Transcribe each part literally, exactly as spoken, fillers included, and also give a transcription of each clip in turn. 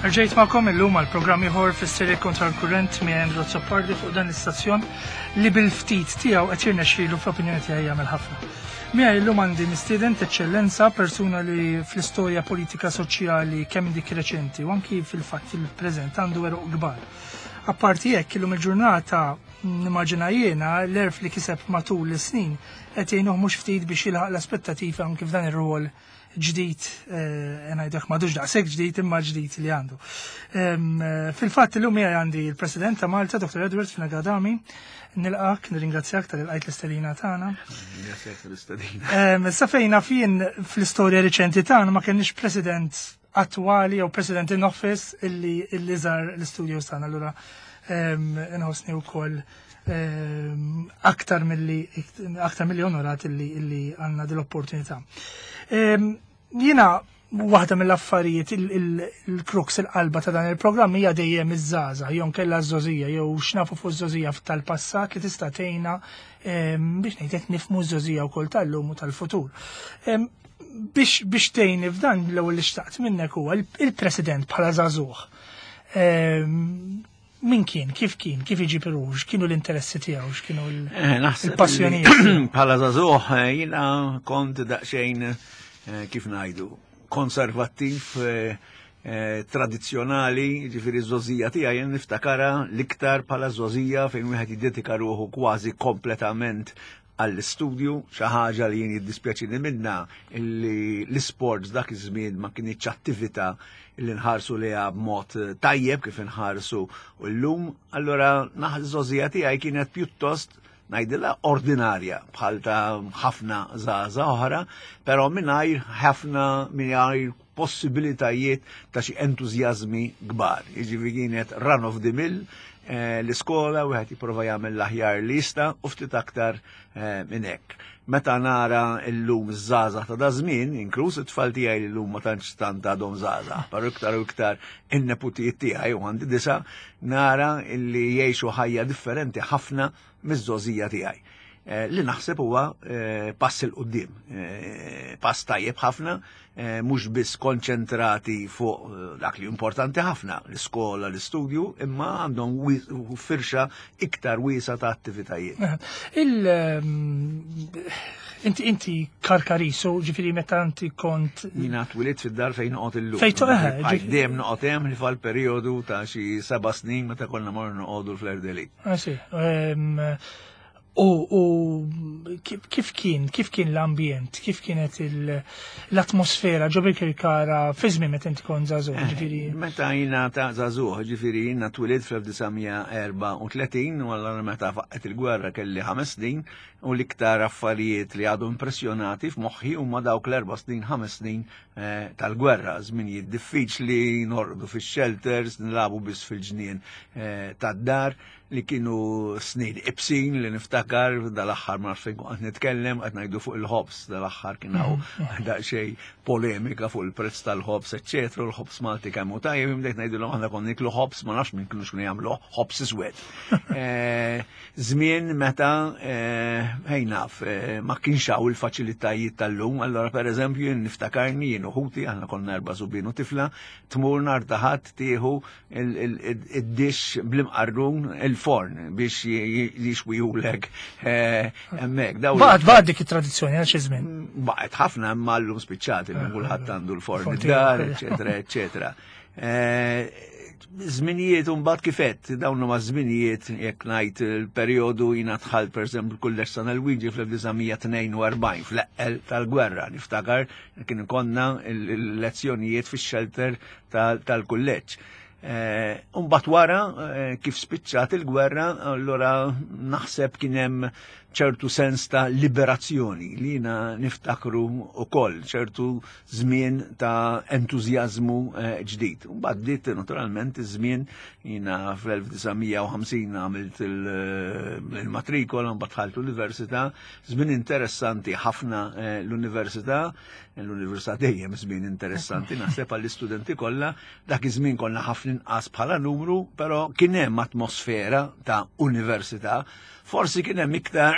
Rġajt magħkom illum għal programm ieħor fis-serje Kontra l-Kurrent minn Andrew Azzopardi fuq dan l-istazzjon li bil-ftit tiegħu qed jirnexxielu, fl-opinjoni tiegħi, jagħmel ħafna. Miegħi illum għandi mistieden eċċellenza, persuna li fl-istorja politika, soċjali, kemm dik reċenti u anki fil-fatt fil-preżent, għandu għeruq kbar. Apparti hekk, illum il-ġurnata, nimmaġina jiena, l-għerf li kiseb matul is-snin qed jgħinuh mhux ftit biex jilħaq l-aspettativa anki f'dan ir-rwol ġdid, eh, ngħidlek m'għadux daqshekk ġdid imma ġdid li għandu. Em, eh, Fil-fatt illum miegħi għandi il-President ta' Malta, Doktor Edward Fenech Adami. Nilqak, nirringrazzjak talli lqajt l-istedina tagħna. Grazie tal-istedina. Em, Sa fejn naf jien, fl-istorja reċenti tagħna ma kenniex president attwali jew president in office illi illi żar l-studios tagħna. Allura em, inħossni wkoll em, aktar milli aktar milli onorat illi illi għandna dil-opportunità. Em, Jiena waħda mill-affarijiet, il-crux, il-qalba ta' dan il-programm hija dejjem iż-żgħażagħ, jew kella ż-żgħożija, jew x'nafu fuq iż-żgħożija tal-passat li tista' tgħinna em, biex ngħidlek nifhmu ż-żgħożija wkoll tal-lum u tal-futur. Em, Biex biex tgħinni f'dan, l-ewwel li xtaqt minnek huwa il-President bħala żagħżugħ. Em, Min kien, kif kien, kif iġib ruħu, x'kienu l-interessi tiegħu, x'kienu l- Eh, Naħseb il-passjonijiet li bħala żagħżugħ eh, jiena kont daqsxejn, eh, kif ngħidu, konservattiv, eh, eh, tradizzjonali, ġifieri ż-żgħożija tiegħi jien niftakara l-iktar bħala żgħożija fejn wieħed jiddedika ruħu kważi kompletament għall-istudju, xi ħaġa li jien jiddispjaċini minna illi l-sports dak iż-żmien ma kienx attività illi nħarsu liha b'mod tajjeb kif inħarsu llum. Allora naħ iż-żgħożija tiegħi kienet pjuttost, ngħidilha, ordinarja bħal ta' ħafna żgħażagħ oħra, però mingħajr ħafna mingħajr possibilitajiet ta' xi entużjażmi kbar. Jiġifieri kienet run of the mill, eh, l-iskola, wieħed jipprova jagħmel l-aħjar li jista' u ftit aktar eh, minn hekk. Meta nara llum iż-żgħażagħ ta' daż-żmien, inkluż it-tfal tiegħi li llum ma tantx tant għadhom żgħażagħ, però iktar u iktar in-neputijiet tiegħi, u għandi disa, nara illi jgħixu ħajja differenti ħafna miż-żgħożija tiegħi. Eh, li naħseb huwa eh, pass 'il quddiem, eh, pass tajjeb ħafna, eh, mhux biss konċentrati fuq eh, dak li importanti ħafna, l-iskola, l-istudju, imma għandhom wi- firxa iktar wiesa ta' attivitajiet. Il ehm, inti inti Karkarisu, ġifieri meta inti kont Jiena twelidt fid-dar fejn noqgħod illum. Fejn to- eh, Bqajt ġifieri- dejjem noqgħod hemm li fal-perjodu ta' xi seba' snin meta konna morru noqogħdu l-Fleur-de-Lys. Ah, sì. Ehm, U, u kif kif kien, kif kien l-ambjent, kif kienet il- l-atmosfera ġo Birkirkara fi żmien meta inti kont żagħżugħ, ġifieri? Meta jiena ta' żagħżugħ, ġifieri jiena twelidt fl-elf disa' mija erbgħa u tletin u allura meta faqqet il-gwerra kelli ħames snin u l-iktar affarijiet li għadu impressjonati f'moħħi huma dawk l-erba' snin, ħames snin eh, tal-gwerra, żminijiet diffiċli, norqdu fix-shelters, nilagħbu biss fil-ġnien eh, tad-dar, li kienu snin ibsin li niftakar. Dal-aħħar ma nafx fejn kont nitkellem, qed ngħidu fuq il-ħobż, dal-aħħar kien hawn daqsxejn polemika fuq il-prezz tal-ħobż, eċċetera, u l-ħobż Malti kemm hu tajjeb, bdejt ngħidilhom aħna konna niklu ħobż, ma nafx minn kienu x'kienu jagħmlu ħobż iswed. Eh, Żmien meta eh, ħej naf, eh, ma kienx hawn il-faċilitajiet tal-lum, allora pereżempju jien niftakarni jien u ħuti, aħna konna erba' subien u tifla, tmur nhar ta' Ħadd tieħu id-dixx bl-imqarrun il-forn biex jixwijulek hemmhekk. Dawn- Baqgħet baqgħet dik it-tradizzjoni għal xi żmien. Baqgħet ħafna, imma llum spiċċat, illum kulħadd għandu l-forn Forn id-dar, tiegħu. eċetera, eċetera. Eh, Żminijiet mbagħad kifet, dawn huma żminijiet, jekk ngħid il-perjodu jiena dħalt pereżempju l-Kulleġġ San Luigi fl-elf disa' mija tnejn u erbgħin, fl-eqqel tal-gwerra. Niftakar kien konna il-lezzjonijiet fix-shelter tal-kulleġġ. Eh, Mbagħad wara, eh, kif spiċċat il-gwerra, allura naħseb kien hemm ċertu sens ta' liberazzjoni li jiena niftakru ukoll, ċertu żmien ta' entużjażmu eh, ġdid. Mbagħad bdiet naturalment iż-żmien, jiena fl-elf disa' mija u ħamsin għamilt il- il-matrikola, mbagħad dħalt l-università, żmien interessanti ħafna eh, l-università, l-università dejjem żmien interessanti naħseb għall-istudenti kollha, dak iż-żmien konna ħafna inqas bħala numru, però kien hemm atmosfera ta' università, forsi kien hemm iktar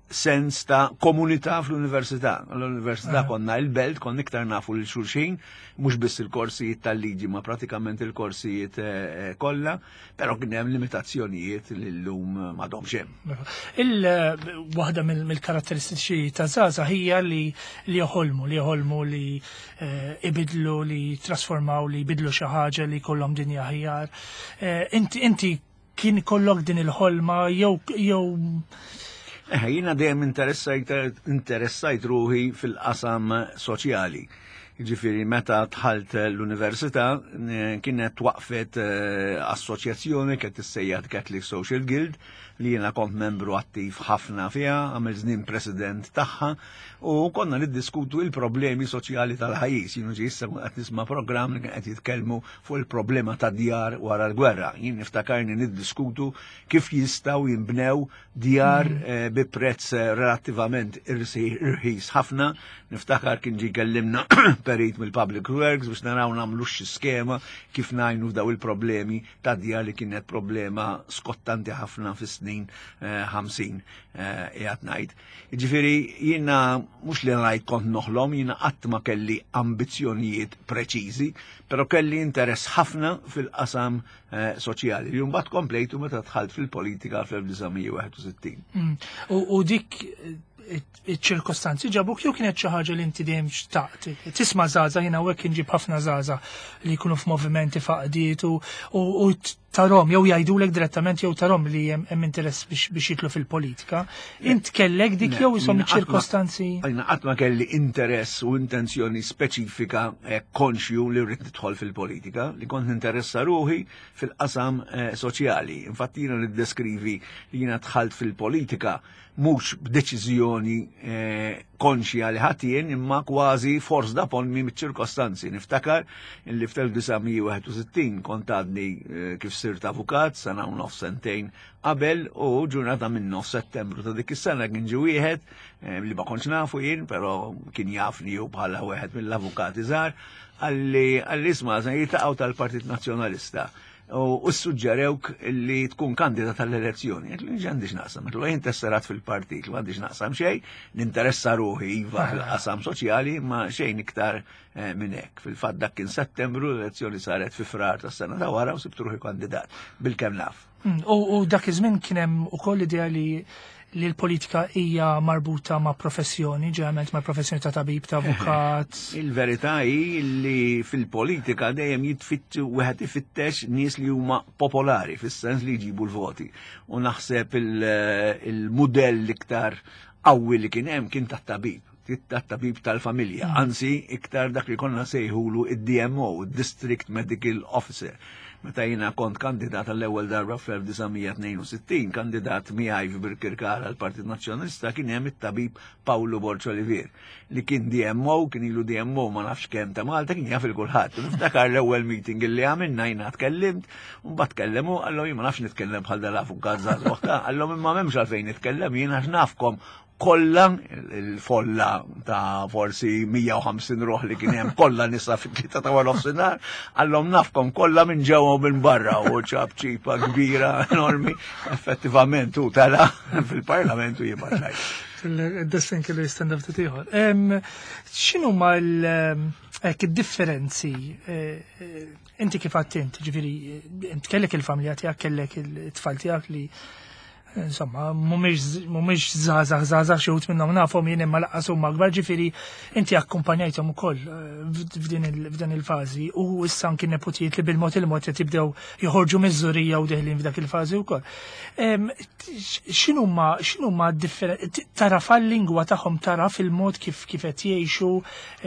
sens ta' komunità fl-università. L-università konna il-belt, konna iktar nafu lil xulxin, mhux biss il-korsijiet tal-liġi, ma pratikament il-korsijiet eh, kollha, però kien hemm limitazzjonijiet li llum m'għadhomx hemm. Il-waħda mill-karatteristiċi ta' żgħażagħ hija li li joħolmu, li joħolmu li eh, ibidlu, li trasformaw, li jbidlu xi ħaġa, li jkollhom dinja aħjar. Eh, Inti inti kien kollok din il-ħolma jew jew Eh, jiena dejjem interessajt interessajt ruħi fil-qasam soċjali. Ġifieri meta dħalt l-università eh, kienet waqfet eh, assoċjazzjoni kienet tissejjaħ Catholic Social Guild, li jiena kont membru attiv ħafna fiha, għamil żnien president tagħha, u konna niddiskutu il-problemi soċjali tal-pajjiż. Jienu ġi issa qed nisma' programm li kien qed jitkellmu fuq il-problema ta' djar wara l-gwerra. Jien niftakarni niddiskutu kif jistgħu jinbnew djar eh, bi prezz eh, relattivament irħis ħafna. Niftakar kien ġi kellimna perit mill-Public Works biex naraw nagħmlu xi skema kif ngħinu f'daw il-problemi ta' djar, li kienet problema skottanti ħafna fis-snin ħamsin qiegħed ngħid. Jiġifieri jiena mhux li ngħid kont noħlom, jiena qatt ma kelli ambizzjonijiet preċiżi, però kelli interess ħafna fil-qasam eh, soċjali. Li mbagħad komplejtu meta dħalt fil-politika fl-elf disa' mija u wieħed u sittin. Mm. U, u dik eh, iċ-ċirkostanzi ġabuk jew kienet xi ħaġa li inti dejjem xtaqt? Tisma' żgħażagħ, jiena hawnhekk inġib ħafna żgħażagħ li jkunu f'movimenti, f'għaqdiet, u, u, u tarahom jew jgħidulek direttament jew tarahom li hemm hemm interess biex, biex jidħlu fil-politika. Int kellek dik jew isom Jiena qatt ma- iċ-ċirkostanzi? Jiena qatt ma kelli interess u intenzjoni speċifika eh, konxju li rrid nidħol fil-politika, li kont ninteressa ruħi fil-qasam eh, soċjali. Infatti jiena niddeskrivi li jiena dħalt fil-politika mhux b'deċiżjoni eh, konxja li ħadt jien, imma kważi forced upon me mit-ċirkostanzi. Niftakar li fl-elf disa' mija u wieħed u sittin kont għadni eh, kif sirt avukat, sena u nofs, sentejn qabel, u ġurnata minn nofs Settembru ta' dik is-sena kien ġi wieħed eh, li ma kontx nafu jien, però kien jafni ju bħala wieħed mill-avukati żgħar, qalli qalli "Isma', se jiltaqgħu tal-Partit Nazzjonalista u suġġerewk li tkun kandidat tal-elezzjoni." Għedtlu, "M'għandix naqsam." Għedtlu, "Jien tesserat fil-partit, m'għandix naqsam xejn, ninteressa ruħi iva fil-qasam soċjali, ma xejn iktar eh, minn hekk." Fil-fatt dak kien Settembru, l-elezzjoni saret fi Frar tas-sena ta' wara u sibt ruħi kandidat bil-kemm naf. Mm, U, u dak iż-żmien kien hemm ukoll idea li li l-politika hija marbuta ma' professjoni, ġeneralment ma' professjoni ta' tabib, ta' avukat. Il-verità hi li fil-politika dejjem jitfittu wieħed ifittex nies li huma popolari fis-sens li jġibu l-voti. U naħseb il-mudell l-iktar qawwi li kien hemm kien tat-tabib, tat-tabib tal-familja, anzi iktar dak li konna sejħulu id-D M O, District Medical Officer. Meta jiena kont kandidat għall-ewwel darba fl-elf disa' mija tnejn u sittin, kandidat miegħi f'Birkirkara għall-Partit Nazzjonalista kien hemm it-tabib Paolo Borg Olivier, li kien D M O, kien ilu D M O ma nafx kemm ta' Malta, kien jaf il kulħadd. Niftakar l-ewwel meeting li għamilna, jiena tkellimt, u mbagħad tkellemu, qallhom, "Jien ma nafx nitkellem bħal dal-avukat żagħżugħ ta'," qallhom, "imma m'hemmx għalfejn nitkellem jien għax nafkom kollha," il-folla ta' forsi mija u ħamsin ruħ li kien hemm, kollha nisa, fit-tlieta ta' wara nofsinhar, qallhom, "Nafkom kollha minn ġewwa u minn barra," u ċapċipa kbira enormi. Effettivament u tela' fil-parlament u jibgħat lajk. Il-destin kellu jistenna ftit ieħor. X'inhu ma l differenzi eh, eh, inti kif għedt int, ġifieri int kellek il-familja tiegħek, kellek il-tfal tiegħek li insomma, mhumiex żgħażagħ żgħażagħ, xi wħud minnhom nafhom jien, imma lanqas huma kbar, ġifieri inti akkumpanjajthom ukoll eh, f'din il-fażi u issa anki nepotijiet li bil-mod il-mod qed jibdew joħorġu miż-żgħorija u deħlin f'dak il-fażi wkoll. X'inhuma x'inhuma tara fil-lingwa tagħhom, tara fil-mod kif kif qed jgħixu,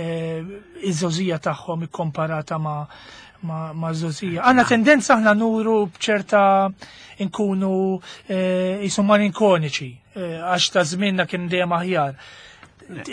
eh, iż-żgħożija tagħhom ikkomparata ma' ma', ma żgħożija? Għandna tendenza aħna nuru bċerta nkunu jisu eh, malinkoniċi, eh, għax ta' żmienna kien dejjem aħjar.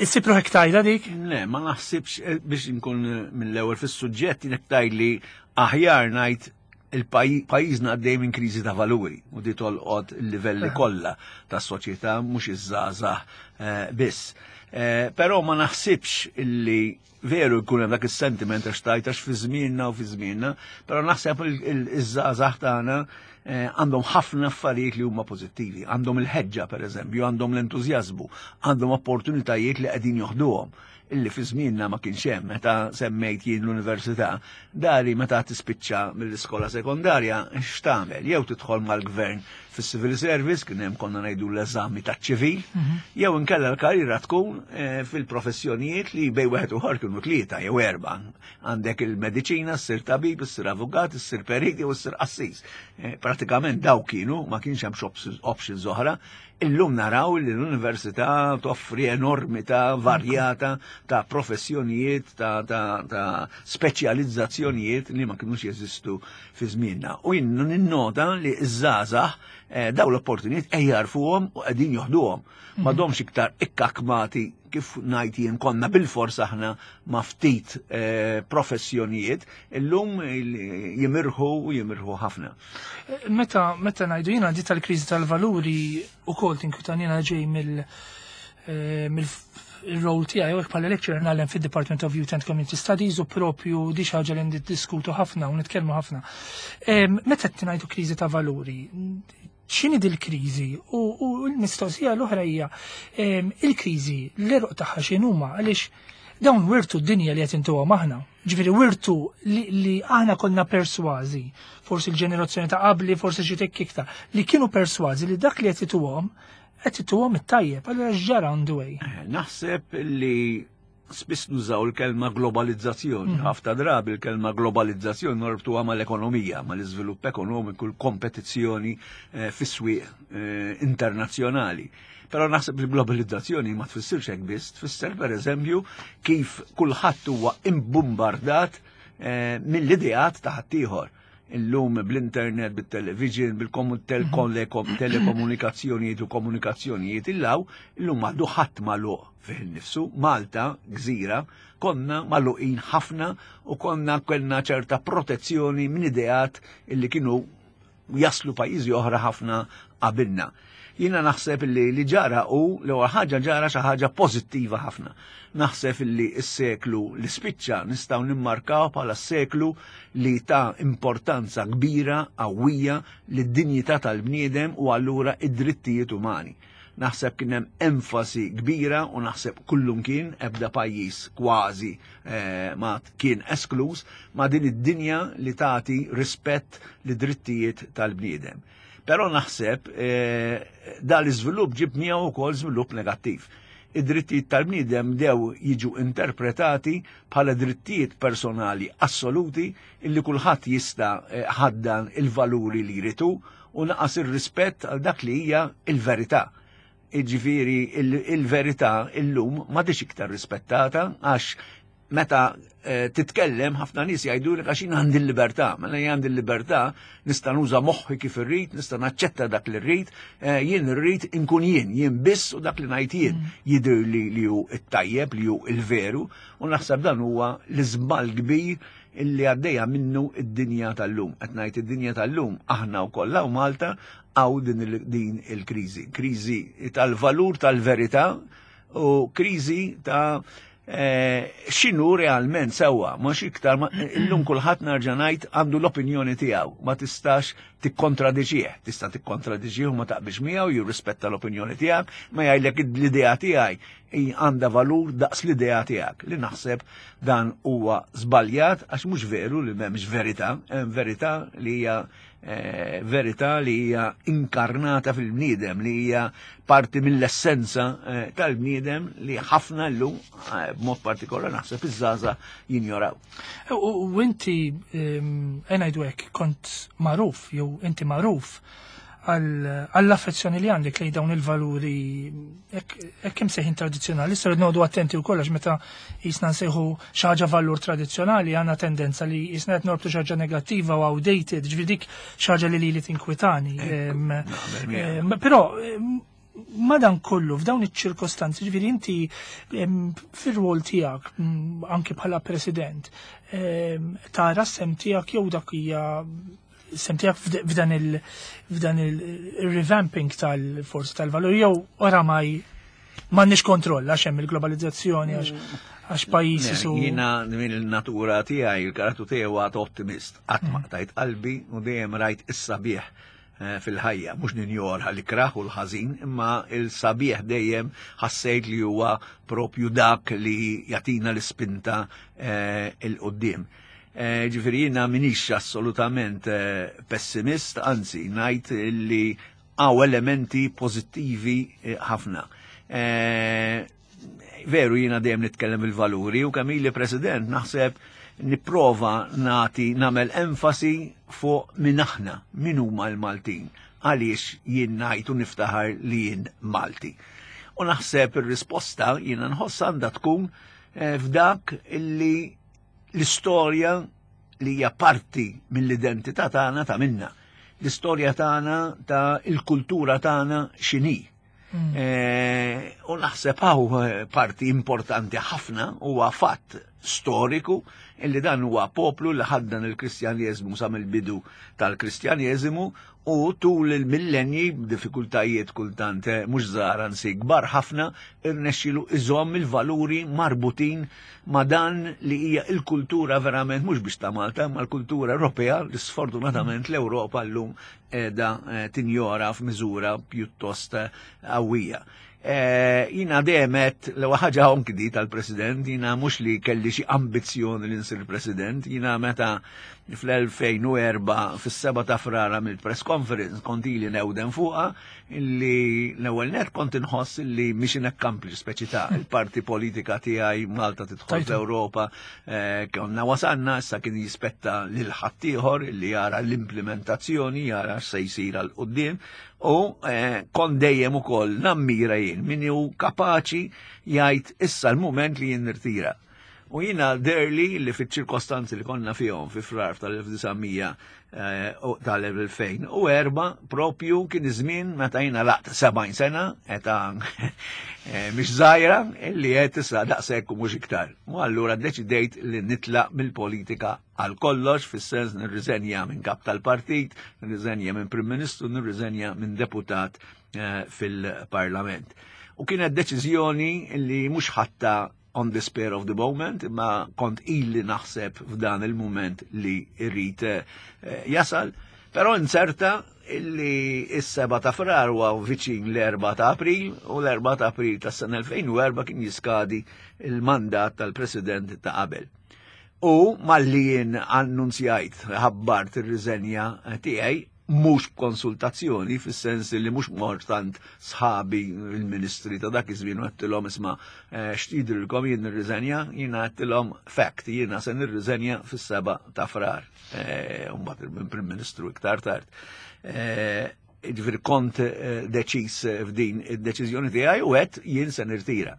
Issib ruħek tgħidha dik? Le, ma naħsibx, eh, biex nkun mill-ewwel fis-suġġett, jien li aħjar ngħid il-pajjiżna għaddej minn kriżi ta' valuri u di tolqot il-livelli kollha tas-soċjetà, mhux iż-żgħażagħ biss. Eh, però ma naħsibx illi veru jkun hemm dak is-sentiment għax tajt għax fi żmienna u fi żmienna, però naħseb iż-żgħażagħ tagħna eh, għandhom ħafna affarijiet li huma pożittivi, għandhom il-ħeġġa pereżempju, għandhom l-entużjażmu, għandhom opportunitajiet li qegħdin joħduhom illi fi żmienna ma kienx hemm. Meta semmejt jien l-università, dari meta tispiċċa mill-iskola sekondarja x'tagħmel? Jew tidħol mal-gvern fis-civil service, kien hemm konna ngħidu l-eżami taċ-ċivil, jew inkella l-karriera tkun eh, fil-professjonijiet li bejn wieħed u ieħor kienu tlieta jew erba'. Għandek il-mediċina, ssir tabib, ssir avukat, ssir perit jew ssir qassis. Eh, Pratikament daw kienu, ma kienx hemm options oħra. Illum naraw li l-università toffri enormità varjata ta' professjonijiet, ta', ta, ta speċjalizzazzjonijiet li ma kienux jeżistu fi żmienna. U jien ninnota li ż-żgħażagħ eh, daw l-opportunijiet qed jarfuhom u qegħdin joħduhom. M'għadhomx iktar ikkakmati kif ngħid jien konna bil-fors aħna ma' ftit eh, professjonijiet, illum jimirħu u jimirħu ħafna. Meta meta ngħidu jiena di tal-kriżi tal-valuri ukoll tinkwitani. Jiena ġej mill eh, mill il-role tiegħi u bħala lecturer ngħallem fid-Department of Youth and Community Studies u propju di xi ħaġa li niddiskutu ħafna u nitkellmu ħafna. Em, Meta qed ngħidu kriżi ta' valuri, x'inhi dil-kriżi? U, u l-mistoqsija l-oħra hija em, il-kriżi l-għeruq tagħha x'inhuma, għaliex dawn wirtu d-dinja li qed intuhom aħna. Ġifieri wirtu li, li aħna konna persważi, forsi l-ġenerazzjoni ta' qabli, forsi xi tikk iktar, li kienu persważi li dak li qed ituhom qed ituhom it-tajjeb, allura x'ġara on the way? Eh, Naħseb li spiss nużaw il-kelma globalizzazzjoni. Ħafna drabi il-kelma globalizzazzjoni norbtuha mal-ekonomija, mal-iżvilupp ekonomiku, l-kompetizzjoni eh, fis-swieq eh, internazzjonali. Però naħseb li globalizzazzjoni ma tfissirx hekk biss, tfisser pereżempju kif kulħadd huwa imbombardat eh, mill-ideat ta' ħaddieħor. Illum bl-internet, bil-television, bil-telekomunikazzjonijiet u komunikazzjonijiet illaw, illum m'għadu ħadd magħluq fih nifsu. Malta, gżira, konna magħluqin ħafna u konna kellna ċerta protezzjoni minn ideat illi kienu jaslu pajjiżi oħra ħafna qabilna. Jiena naħseb li li ġara u l-ewwel ħaġa ġara xi ħaġa pożittiva ħafna. Naħseb li s-seklu li spiċċa nistgħu nimmarkaw bħala seklu li ta' importanza kbira, qawwija lid-dinjità tal-bniedem u allura id-drittijiet umani. Naħseb kien hemm enfasi kbira u naħseb kullum kien ebda pajjiż kważi eh, ma kien esklus ma' din id-dinja li tagħti rispett li drittijiet tal-bniedem. Però naħseb eh, da l-iżvilupp ġib miegħu wkoll żvilupp negattiv. Id-drittijiet tal-bniedem dew jiġu interpretati bħala drittijiet personali assoluti illi kulħadd jista' eh, ħaddan il-valuri li jritu u naqas ir-rispett għal dak li hija il-verità. Iġifieri il-verità illum m'għadhiex iktar rispettata għax meta eh, titkellem ħafna nies jgħidulek għax jien għandi l-libertà. Mela jien għandi l-libertà, nista' nuża moħħi kif irrid, nista' naċċetta dak li rrid, eh, jien irrid inkun jien, jien biss u dak li ngħid jien jidher li li hu t-tajjeb, li hu il-veru, u naħseb dan huwa l-iżball kbir illi għaddejja minnu id-dinja tal-lum. Qed ngħid id-dinja tal-lum aħna wkoll u Malta għaw din il- din il-kriżi. Kriżi tal-valur tal-verità u kriżi ta' eh, x'inhu realment sewwa, mhux iktar ma- illum kulħadd nerġa' ngħid għandu l-opinjoni tiegħu, ma tistax tikkontradiġih, tista' tikkontradiġih u ma taqbilx miegħu, jirrispetta l-opinjoni tiegħek, ma jgħidlek l-idea tiegħi hi għandha valur daqs l-idea tiegħek, li naħseb dan huwa żbaljat għax mhux veru li m'hemmx verità, hemm verità li hija eh, verità li hija inkarnata fil-bniedem, li hija parti mill-essenza eh, tal-bniedem li ħafna llum eh, b'mod partikolari naħseb iż-żgħażagħ jinjoraw. U u inti ngħidu hekk kont magħruf jew inti magħruf għall-affezzjoni li għandek lejn dawn il-valuri hekk imsejħin tradizzjonali. Issa rrid noqogħdu attenti wkoll għax meta jisna nsejħu xi ħaġa valur tradizzjonali għandna tendenza li jisna qed norbtu xi ħaġa negattiva u outdated, ġifieri dik xi ħaġa li lili tinkwitani. Em, Naqbel miegħek. em, Però em, madan kollu f'dawn iċ-ċirkostanzi, ġifieri inti em, fir-rwol tiegħek mm, anke bħala president, em, tara s-sehem tiegħek jew dak hija sehem tiegħek f'd- f'dan il f'dan il-revamping tal-forsi tal-valur jew oramai M'għandniex kontroll għax hemm il-globalizzazzjoni, għax għax pajjiż su. Jiena minn il-natura tiegħi, il-karattru tiegħi huwa ottimist. Qatt ma qtajt qalbi u dejjem rajt is-sabiħ eh, fil-ħajja, mhux ninjora l-ikrah u l-ħażin, imma il-sabiħ dejjem ħassejt li huwa propju dak li jagħtina l-ispinta eh, 'il quddiem. Eh, ġifieri jiena minix assolutament pessimist, anzi ngħid li hawn elementi pożittivi ħafna. Veru jiena dejjem nitkellem il-valuri u kemm ili president naħseb nipprova nagħti nagħmel enfasi fuq min aħna, min huma l-Maltin, għaliex jien ngħid u niftaħar li jien Malti. U naħseb ir-risposta jiena nħoss għandha tkun eh, f'dak illi l-istorja li hija parti mill-identità tagħna ta' minna. L-istorja tagħna ta' il-kultura tagħna x'inhi. Mm. Eh, u naħseb hawn eh, parti importanti ħafna, huwa fatt storiku illi dan huwa poplu li ħaddan il-Kristjaneżmu sa mill-bidu tal-Kristjaneżmu u tul il-millenji b'diffikultajiet kultant eh, mhux żgħar, anzi kbar ħafna, irnexxielu iżomm il-valuri marbutin ma' dan li hija il-kultura verament mhux biex ta' Malta ma l-kultura Ewropea li sfortunatament l-Ewropa llum qiegħda eh, tinjora f'miżura pjuttost eh, qawwija. Eh, Jiena demet, l ħaġa anki tal-president, jiena mhux li kelli xi ambizzjoni li nsir president, jiena meta fl-elfejn u erbgħa fis-seba ta' Frar mill press conference kont ili newden fuqha illi l-ewwel net kont inħoss illi mission accomplished, speċi ta' il-parti politika tiegħi, Malta tidħol l-Ewropa, eh, konna wasanna, issa kien jispetta lil ħaddieħor illi jara l-implementazzjoni, jara x'se jsir għal quddiem u eh, kont dejjem ukoll nammira jien min hu kapaċi jgħid issa l-mument li jien nirtira. U jiena deherli li fit ċirkostanzi li konna fihom fi Frar tal-elf disa' mija tal-elfejn u erbgħa propju kien iż-żmien meta jiena laqt sebgħin sena, eta eh, mhix żgħira, illi qed issa daqshekk u mhux iktar. U allura ddeċidejt li nitlaq mill-politika għal kollox, fis-sens nirriżenja minn kap tal-partit, nirriżenja minn Prim Ministru, nirriżenja minn deputat eh, fil-Parlament. U kienet deċiżjoni li mhux ħadtha on the spur of the moment, ma kont illi naħseb f'dan il-moment li irrid eh, jasal, però inserta illi is-seba ta' Frar huwa viċin l-erba ta' April u l-erba ta' April tas-sena elfejn u erbgħa kien jiskadi il-mandat tal-president ta' qabel. U malli jien annunzjajt, ħabbart ir-riżenja tiegħi, mhux b'konsultazzjoni, fis-sens li mhux mort għand sħabi il-ministri ta' dak iż-żmien u għedtilhom, "Isma', eh, x'tidrilkom, jien nirriżenja?" Jiena għedtilhom fact, jiena se nirriżenja fis-seba ta' Frar. Eh, u mbagħad il-Prim Ministru iktar tard. Eh, ġifieri kont deċis f'din id-deċiżjoni tiegħi u għedt jien se nirtira.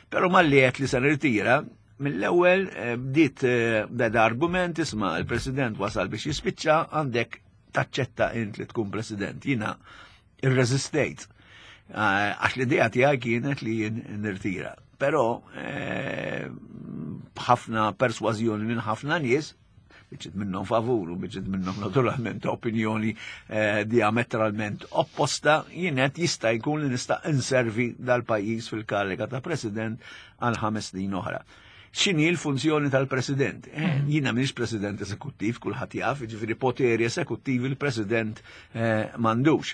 Però malli għedt li se nirtira, mill-ewwel bdiet beda argument, "Isma', il-President wasal biex jispiċċa, għandek taċċetta int li tkun president." Jiena irreżistejt. Eh, għax l-idea tiegħi kienet li jien nirtira. Però eh, b'ħafna persważjoni minn ħafna nies, biċċiet minnhom favur u biċċiet minnhom naturalment opinjoni eh, diametralment opposta, jienet jista' jkun li nista' inservi dal-pajjiż fil-kariga ta' president għal ħames snin oħra. X'inhi l-funzjoni tal-president? Eh, mm. Jiena m'iniex president esekuttiv, kulħadd jaf, ġifieri poteri esekuttivi il-president eh, m'għandux.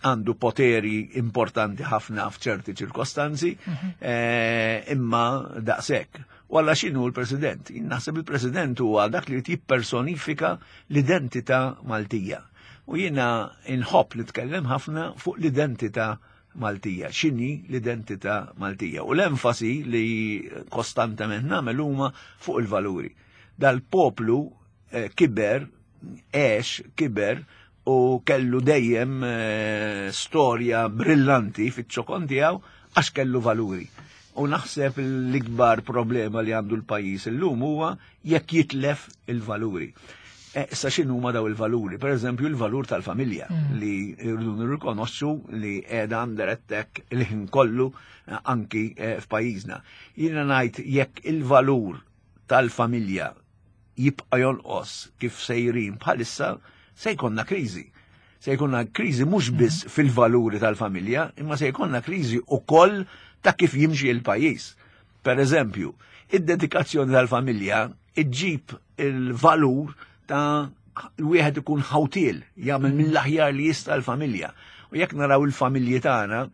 Għandu poteri importanti ħafna f'ċerti ċirkostanzi, mhm. eh, imma daqshekk. U alla x'inhu l-president? Jien naħseb il-president huwa dak li jippersonifika l-identità Maltija. U jiena inħobb li tkellem ħafna fuq l-identità Maltija. X'inhi l-identità Maltija? U l-enfasi li kostantement nagħmel huma fuq il-valuri. Dal-poplu eh, kiber, għex, kiber u kellu dejjem eh, storja brillanti fiċ-ċokon tiegħu għax kellu valuri. U naħseb l-ikbar problema li għandu l-pajjiż illum huwa jekk jitlef il-valuri. Eh, issa x'inhu huma daw il-valuri? Per eżempju, il-valur tal-familja mm. li rridu nirrikonoxxu li qiegħda under attack il-ħin kollu eh, anki eh, f'pajjiżna. Jiena ngħid jekk il-valur tal-familja jibqa' jonqos kif sejrin bħalissa, se jkollna kriżi. Se jkollna kriżi mhux biss mm. fil-valuri tal-familja, imma se jkollna kriżi ukoll ta' kif jimxi il-pajjiż. Per eżempju, id-dedikazzjoni tal-familja iġġib il-valur ta' wieħed ikun ħawtiel, jagħmel mill-aħjar li jista' l-familja. U jekk naraw il-familji tagħna,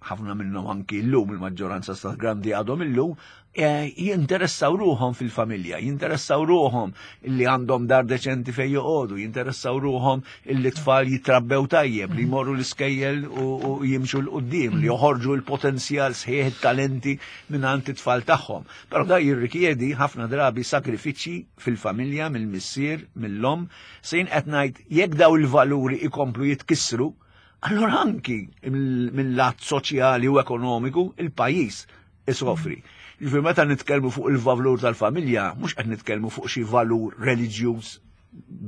ħafna minnhom anki llum, il-maġġoranza sta grandi għadhom illum, eh, jinteressaw ruħhom fil-familja, jinteressaw ruħhom illi għandhom dar deċenti fejn joqogħdu, jinteressaw ruħhom illi tfal jitrabbew tajjeb, li jmorru l-iskejjel u, u jimxu 'l quddiem, li joħorġu l-potenzjal sħiħ, it-talenti minn għand it-tfal tagħhom. Però da jirrikjedi ħafna drabi sakrifiċċji fil-familja, mill-missier, mill-omm. Se jien qed ngħid, jekk daw il-valuri ikomplu jitkissru, allora anki mill-lat soċjali u ekonomiku il-pajjiż isofri. Ġifieri meta nitkellmu fuq il-valur tal-familja, mhux qed nitkellmu fuq xi valur reliġjuż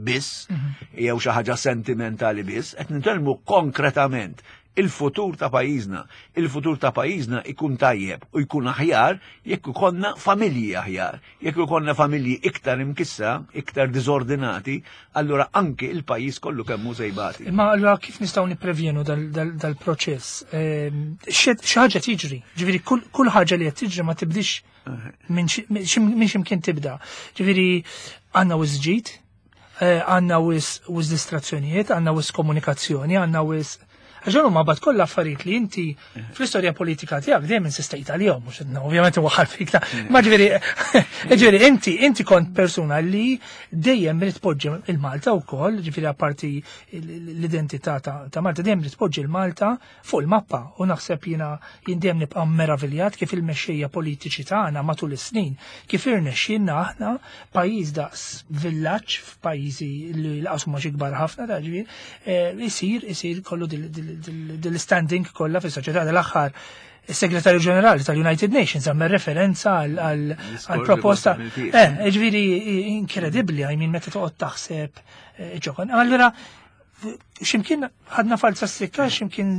biss, jew xi ħaġa sentimentali biss, qed nitkellmu konkretament il-futur ta' pajjiżna. Il-futur ta' pajjiżna ikun tajjeb u jkun aħjar jekk ikollna familji aħjar. Jekk ikollna familji iktar imkissa, iktar diżordinati, allura anki il-pajjiż kollu kemm hu se jbati. Imma allura kif nistgħu nipprevjenu dal-proċess? Ehm, xi ħaġa tiġri, ġifieri kull ħaġa li qed tiġri ma tibdix minn x'imkien tibda. Ġifieri għandna wisq ġid, eh, għandna wisq distrazzjonijiet, għandna wisq komunikazzjoni, għandna wisq. Għax ma bat kollha affarijiet li inti fl-istorja politika tiegħek dejjem insistejt għalihom, mhux ovvjament waħħal fik ta' ma ġifieri ġifieri inti inti kont persuna li dejjem rid tpoġġi il-Malta wkoll, ġifieri apparti l-identità ta' Malta, dejjem rid tpoġġi il-Malta fuq il-mappa, u naħseb jiena jien dejjem nibqa' meraviljat kif il-mexxejja politiċi tagħna matul is-snin kif irnexxielna aħna, pajjiż daqs villaġġ f'pajjiżi li laqas huma xi kbar ħafna ta' ġifieri, eh, isir isir kollu dil-standing kollha fis-soċjetà. Dal-aħħar is-Segretarju Ġenerali tal-United Nations għamel referenza għal proposta. Eh, ġifieri inkredibbli, I mean, meta toqgħod taħseb eh, ġokon. Allura ximkien ħadna falza s-sikka, ximkien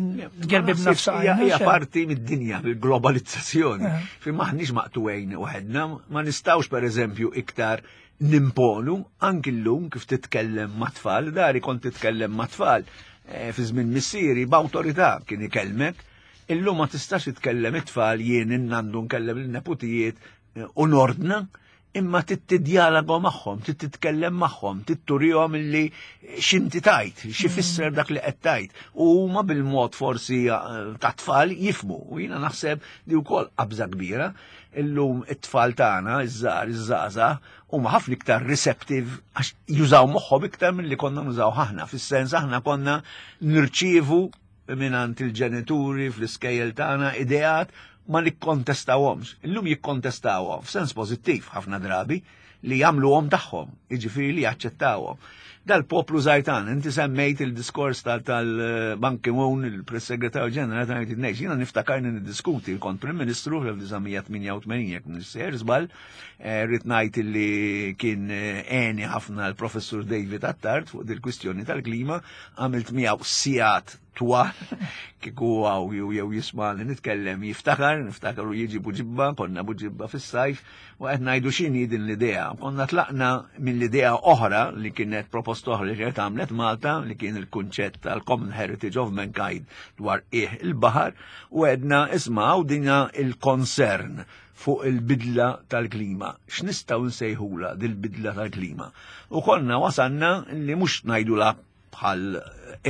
gerbibna f'saqajna. Hija parti mid-dinja, bil-globalizzazzjoni. Eh. Fi maħniex maqtugħin waħedna, ma nistgħux, per eżempju, iktar nimponu. Anki llum kif titkellem ma' tfal, dari kont titkellem ma' tfal Eh, fi żmien missieri b'awtorità kien ikellmek, illum ma tistax titkellem it-tfal, jien innandu nkellem il-neputijiet eh, u nordna, imma tittidjalago magħhom, titkellem magħhom, titturihom illi x'inti tajt, x'ifisser dak li qed tajt. U huma bil-mod forsi eh, ta' tfal jifmu. U jiena naħseb li wkoll qabża kbira. Illum it-tfal tagħna, iż-żgħar, iż-żgħażagħ, huma ħafna iktar receptive għax jużaw moħħhom iktar milli konna nużaw aħna. Fis-sens aħna konna nirċievu mingħand il-ġenituri, fl-iskejjel tagħna, ideat, ma nikkontestawhomx. Illum jikkontestawhom f'sens pożittiv ħafna drabi, li jagħmluhom tagħhom, jiġifieri li jaċċettawhom. Dal-poplu żgħir, inti semmejt il-diskors tal-Ban Ki-moon, il-Press-Segretarju Ġenerali tal-United Nations, jiena niftakarni niddiskuti, kont Prim Ministru fl-elf disa' mija tmienja u tmenin, jekk nissejjer żball, eh, rrid ngħid li kien eh, għeni ħafna l-Professur David Attard fuq dil-kwistjoni tal-klima, għamilt miegħu sigħat twal, kieku hawn jew jew jisma' li nitkellem jiftakar, niftakar u jiġi Buġibba, konna Buġibba fis-sajf, u qed ngħidu x'inhi din l-idea. Konna tlaqna mill-idea oħra li kienet proposta oħra li kienet għamlet Malta, li kien il-kunċett tal-Common Heritage of Mankind dwar qiegħ il-baħar, u għedna, isma' dina il-concern fuq il-bidla tal-klima. X'nistgħu nsejħula dil-bidla tal-klima? U konna wasanna li mhux ngħidula bħal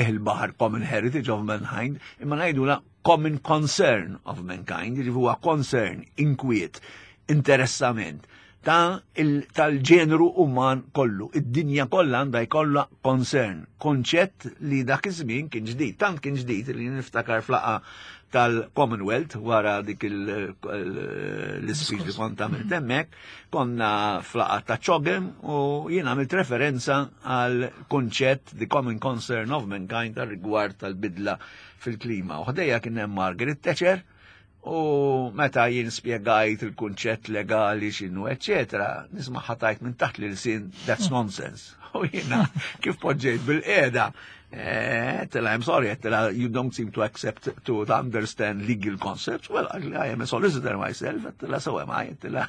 il-baħar Common Heritage of Mankind, imma ngħidula Common Concern of Mankind, jiġifieri huwa concern, inkwiet, interessament ta' tal-ġenru uman kollu. Id-dinja kollha għandha jkollha concern, konċett li dak iż-żmien kien ġdid, tant kien ġdid li niftakar f'laqgħa tal-Commonwealth wara dik l-speech li kont għamilt hemmhekk, konna f'laqgħa ta' CHOGM u jien għamilt referenza għal konċett the Common Concern of Mankind tal rigward tal-bidla fil-klima. U ħdejja kien hemm Margaret Thatcher, u meta jien spjegajt il-kunċett legali x'inhu, eccetera, nisma' ħatajt minn taħt l-ilsien, "That's nonsense." U jiena kif poġġejt bil-qiegħda. Għedtilha, I'm sorry, għedtilha, you don't seem to accept to understand legal concepts. Well, I am a solicitor myself, għedtilha, so am I, għedtilha,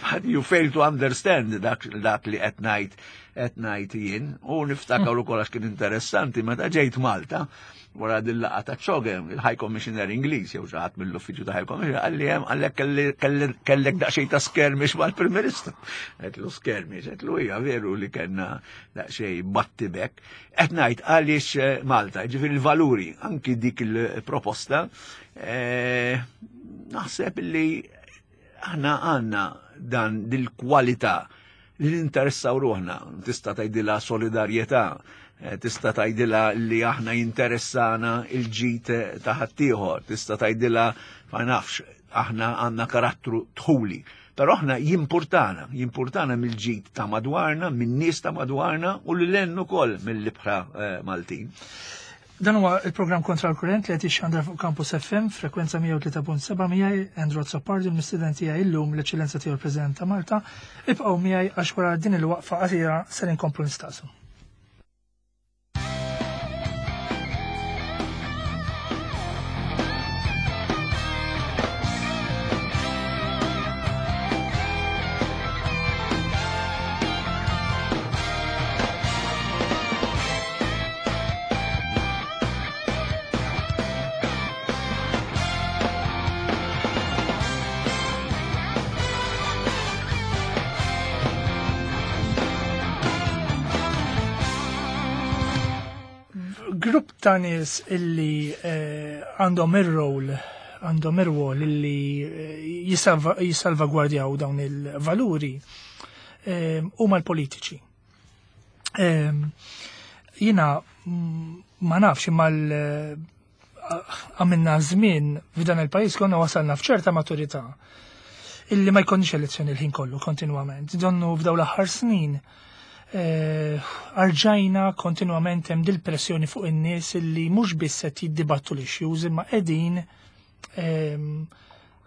but you fail to understand dak, dak li qed ngħid qed ngħid jien. U niftakar ukoll għax kien interessanti meta ġejt Malta, wara dil-laqgħa ta' CHOGM, il-High Commissioner Ingliż, jew xi ħadd mill-uffiċċju ta' High Commissioner, qalli hemm għalhekk kellek daqsxejn ta' skirmish mal-Prim Ministru. Għedtlu skirmish, għedtlu hija veru li kellna daqsxejn battibek. Qed ngħid għaliex eh, Malta, ġifieri il-valuri, anki dik il-proposta, eh, naħseb li aħna għandna dan dil-kwalità li ninteressaw ruħna, tista' tgħidilha solidarjetà, eh, tista' tgħidilha li aħna jinteressana il-ġid ta' ħaddieħor, tista' tgħidilha ma nafx, aħna għandna karattru dħuli. Però aħna jimpurtana, jimpurtana mill-ġid ta' madwarna, min-nies ta' madwarna u l-lenn ukoll mill-ibħra eh, Maltin. Dan huwa il-programm Kontra l-Kurrent li qed jixxandar fuq Campus F M, frekwenza mija u tlieta punt seba' miegħi Andrew Azzopardi, l-mistieden tiegħi illum l-Eċċellenza tiegħu l-President ta' Malta. Ibqgħu miegħi għax wara din il-waqfa qasira ser inkomplu nistaqsu. Grupp ta' nies illi eh, għandhom ir-rol għandhom ir-rwol illi eh, jisalva- jissalvagwardjaw dawn il-valuri eh, huma l-politiċi. Eh, Jiena mm, ma nafx imma l- għamilna żmien f'dan il-pajjiż konna wasalna f'ċerta maturità illi ma jkollniex elezzjoni l-ħin kollu kontinwament. Donnu f'daw l-aħħar snin eh, arġajna kontinwament hemm dil-pressjoni fuq in-nies illi mhux biss qed jiddibattu l-issues imma qegħdin ehm,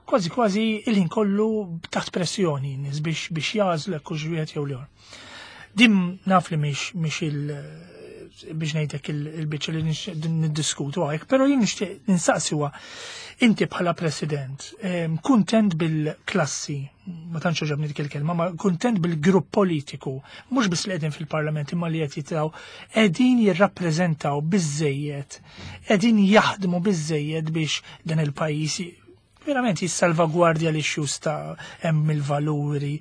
kważi kważi il-ħin kollu taħt pressjoni n-nies biex biex jagħżlu hekk hux wieħed jew l-ieħor. Din naf li mhix mhix il biex ngħidlek il-biċċa li nix- niddiskutu għajk, però jien nixtieq ninsaqsi huwa inti bħala president, em, kuntent bil-klassi, ma tantx għoġobni dik il-kelma, ma kuntent bil-grupp politiku, mhux biss li qegħdin fil-parlament imma li qed jitraw, qegħdin jirrappreżentaw biżejjed, qegħdin jaħdmu biżejjed biex dan il-pajjiż verament jissalvagwardja l-issues ta' hemm il-valuri.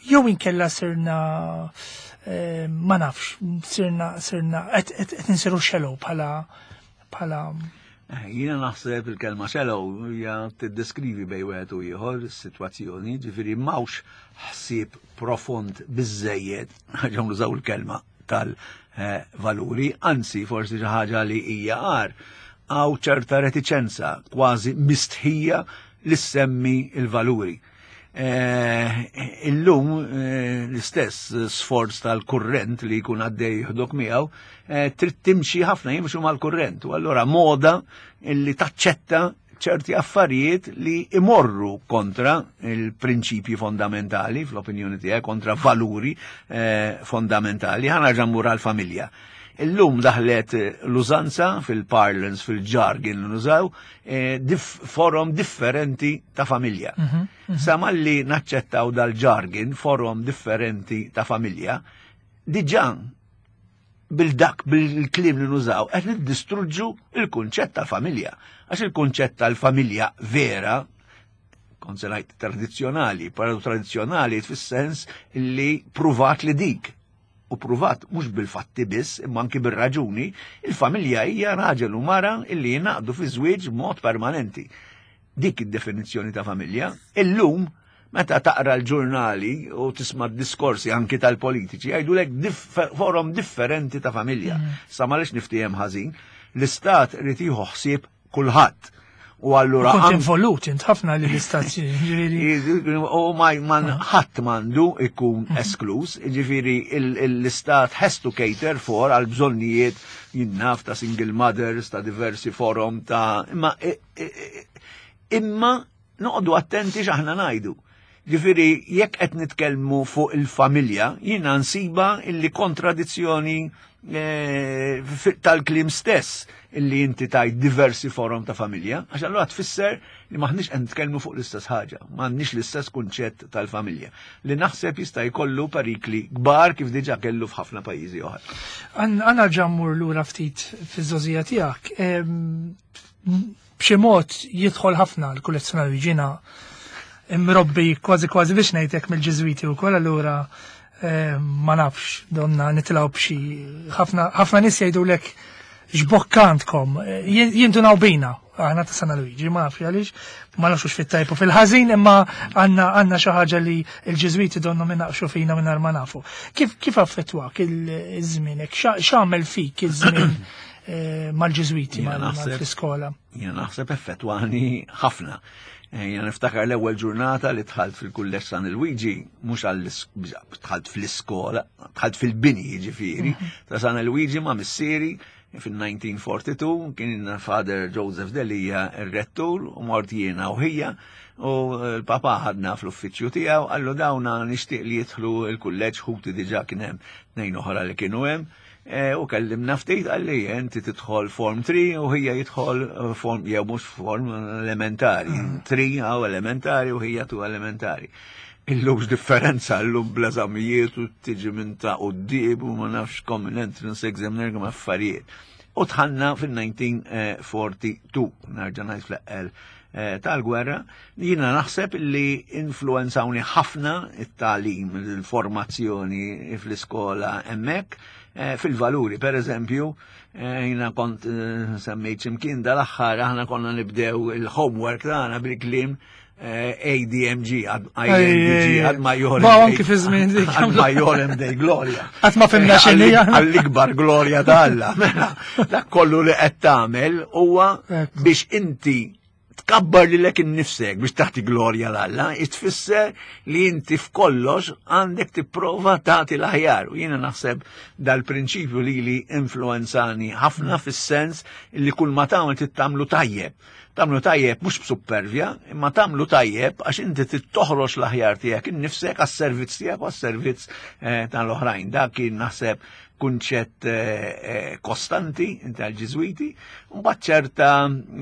Jew inkella sirna eh, ma nafx, sirna sirna qed qed qed insiru shallow bħala bħala Eh, Jiena naħseb il-kelma shallow hija tiddeskrivi bejn wieħed u ieħor is-sitwazzjoni, ġifieri m'hawnx ħsieb profond biżejjed, ħaġa nużaw il-kelma tal-valuri, anzi forsi xi ħaġa li hija għar, hawn ċerta reticenza, kważi mistħija li semmi il-valuri. Eh, Illum eh, l-istess sforz tal-kurrent li jkun għaddej jieħdok miegħu, eh, trid timxi ħafna jimxu mal-kurrent. U allura moda illi taċċetta ċerti affarijiet li imorru kontra il-prinċipji fondamentali, fl-opinjoni tiegħek, kontra valuri eh, fondamentali. Ħa nerġa' mmur għal-familja. Illum daħlet l-użanza fil-parlance, fil-jargon li nużaw, eh, dif forom differenti ta' familja. Sa malli naċċettaw dal-jargon, forom differenti ta' familja, diġà bil-dak bil-kliem li nużaw, qed niddistruġġu il-kunċett tal-familja. Għax il-kunċett tal-familja vera, kont se ngħid tradizzjonali, però tradizzjonali fis-sens li pruvat li dik. U pruvat mhux bil-fatti biss, imma anki bir-raġuni, il-familja hija raġel u mara illi jingħaqdu fi żwieġ b'mod permanenti. Dik id-definizzjoni ta' familja. Illum, meta taqra l-ġurnali u tisma' diskorsi anki tal-politiċi, jgħidulek differ, forom differenti ta' familja. Mm. Sa malix niftiehem ħażin, l-istat irid jieħu ħsieb kulħadd. U allura Kont involut int ħafna li l-istat ġifieri. U ma man ħadd m'għandu ikun esklus, ġifieri l-istat has to cater for għal bżonnijiet jinnaf ta' single mothers, ta' diversi forom ta' imma imma noqogħdu attenti x'aħna ngħidu. Ġifieri jekk qed nitkellmu fuq il-familja, jiena nsiba illi kontradizzjoni eh, tal-kliem stess illi inti tajt diversi forom ta' familja, għax allura tfisser li maħniex qed nitkellmu fuq l-istess ħaġa, m'għandniex l-istess kunċett tal-familja, li naħseb jista' jkollu perikli kbar kif diġà kellu f'ħafna pajjiżi oħra. Għanna ġammur lura ftit fiż-żgħożija tiegħek. B'xi mod jidħol ħafna l-kullezzjonar ġina imrobbi kważi kważi biex ngħidlek mill-Ġiżwiti wkoll, allura ma nafx, donna nitilgħu b'xi ħafna ħafna nies jgħidulek x'bokkantkom, jindunaw bina, aħna ta' San Luigi, ma nafx għaliex, ma nafx fit-tajbu fil-ħażin, imma għandna għandna xi ħaġa li l-Ġiżwiti donnu minaqxu fina mingħajr ma nafu. Kif kif affettwak il-żmienek? X'għamel fik iż-żmien mal-Ġiżwiti fl-iskola? Jiena naħseb effettwani ħafna. Jiena niftakar l-ewwel ġurnata li dħalt fil-kulleġġ San Luigi, mhux għall dħalt fl-iskola, dħalt fil-bini jiġifieri ta' San Luigi ma' missieri fil-elf disa' mija u erbgħa u erbgħin, kien Father Joseph Delia il-rettur u mort jiena u ħija u l-papa ħadna fl-uffiċċju tiegħu, qallu dawna nixtieq li jidħlu il-kulleġġ, ħuti diġà kien hemm tnejn oħra li kienu hemm. U kellimna ftit, qalli inti tidħol form tlieta u ħija jidħol form, jew mhux form, elementari, tlieta għaw elementari u ħija tnejn elementari. Illum differenza, illum bl-eżamijiet u tiġi minn ta' quddiem u ma nafx common entrance exam nergum affarijiet. U dħalna fil-elf disa' mija u erbgħa u erbgħin, nerġa' ngħid fl-eqqel tal-gwerra, jiena naħseb li influenzawni ħafna it-tagħlim, il-formazzjoni fl-iskola hemmhekk, fil-valuri. Per eżempju, jiena kont semmejt ximkien dal-aħħar, aħna konna nibdew il-homework tagħna bil-kliem A D M G, I N D G, ad majorem. Ba, anki fi żmien dik. Ad majorem Dei Gloria. Qatt ma fhimna x'inhi. Għall-ikbar glorja ta' Alla. Mela, dak kollu li qed tagħmel huwa biex inti tkabbar lilek innifsek biex tagħti glorja 'l Alla, tfisser li inti f'kollox għandek tipprova tagħti l-aħjar. U jiena naħseb dal-prinċipju li li influenzani ħafna fis-sens li kull ma tagħmel trid tagħmlu tajjeb. Tagħmlu tajjeb mhux b'suppervja, imma tagħmlu tajjeb għax inti trid toħroġ l-aħjar tiegħek innifsek għas-servizz tiegħek u għas-servizz tal-oħrajn. Dak kien naħseb kunċett kostanti tal-Ġiżwiti, mbagħad ċerta,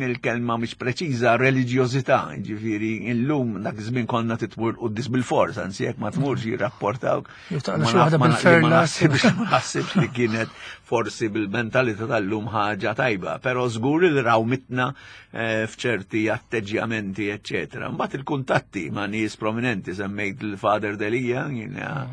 il-kelma mhix preċiża, reliġjożità, ġifieri illum dak iż-żmien konna titmur quddies bil-fors, anzi jekk ma tmurx jirrapportawk. Ma naħsibx li kienet forsi bil-mentalità tal-lum ħaġa tajba, però żgur li rawmitna f'ċerti atteġġjamenti, eċċetera. Mbagħad il-kuntatti ma' nies prominenti, semmejt il-Father Delia, jiena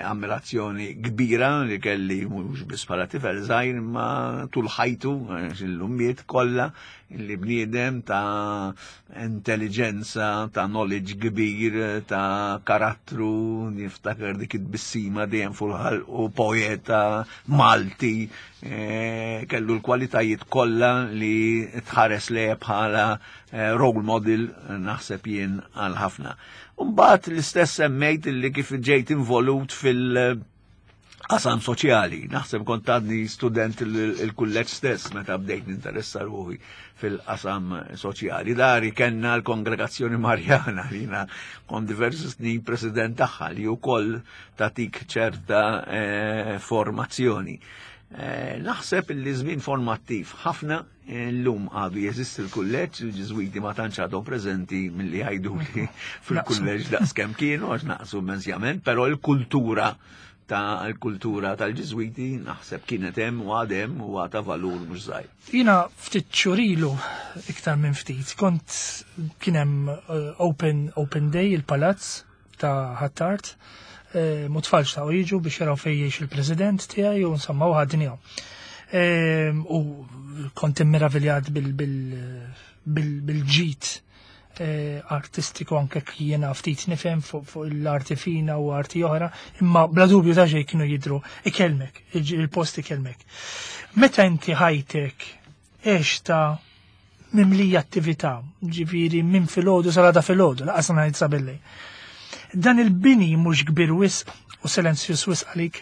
ammirazzjoni kbira li kelli mhux biss bħala tifel żgħir imma tul ħajtu, l-ummiet kollha, li bniedem ta' intelligenza, ta' knowledge kbir, ta' karattru, niftakar dik it-tbissima dejjem fuq u poeta Malti, kellu l-kwalitajiet kollha li tħares le bħala role model naħseb jien għal ħafna. Mbagħad l-istess semmejt li kif ġejt involut fil- qasam soċjali. Naħseb kont għadni student il-kulleġġ stess meta bdejt ninteressa ruħi fil-qasam soċjali. Dari kellna l-Kongregazzjoni Marjana li jiena kont diversi snin president tagħha, li wkoll tatik ċerta formazzjoni. Naħseb li żmien formattiv ħafna. Llum għadu jeżisti l-kulleġġ, il-Ġiżwiti ma tantx għadhom preżenti milli jgħidu li fil-kulleġġ daqs kemm kienu għax naqsu immensjament, però l-kultura ta' l-kultura tal-Ġiżwiti naħseb kienet hemm u għadhem u għata valur mhux żgħir. Jiena ftit xhur ilu, iktar minn ftit, kont kien hemm open, open day il-palazz ta' Ħ'Attard, mu tfal xtaqu jiġu biex jaraw fejn jgħix il-president tiegħi u insomma u ħadnihom. U kont immeraviljat bil-ġid artistiku, anke jiena ftit nifhem fuq l-arti fina u arti oħra, imma bla dubju ta' xejn kienu jidru ikellmek, il-post ikellmek. Meta inti ħajtek ta' mimlija attività, ġifieri minn filgħodu sal-għada filgħodu, lanqas ngħid sa billejl. Dan il-bini mhux kbir wisq u silenzju wisq għalik?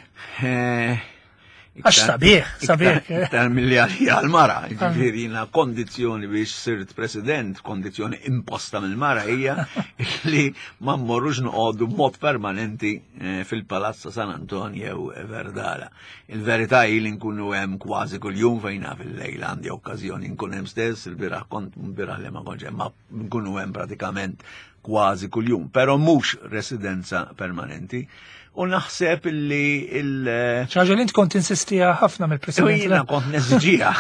Għax sabiħ, sabiħ. Iktar milli għalija għal-mara, ġifieri jiena kondizzjoni biex sirt president, kondizzjoni imposta mill-mara hija li ma mmorrux noqogħdu b'mod permanenti eh, fil-Palazzo San Anton jew Verdala. Il-verità hi li nkunu hemm kważi kuljum fejna fil-lejl għandi okkażjoni nkun hemm stess, il-bieraħ kont bieraħ li ma kontx hemm, ma nkunu hemm pratikament kważi kuljum, però mhux residenza permanenti. U naħseb li il- ħaġa li int kont insistija ħafna mill-president. Jiena kont neżiġiha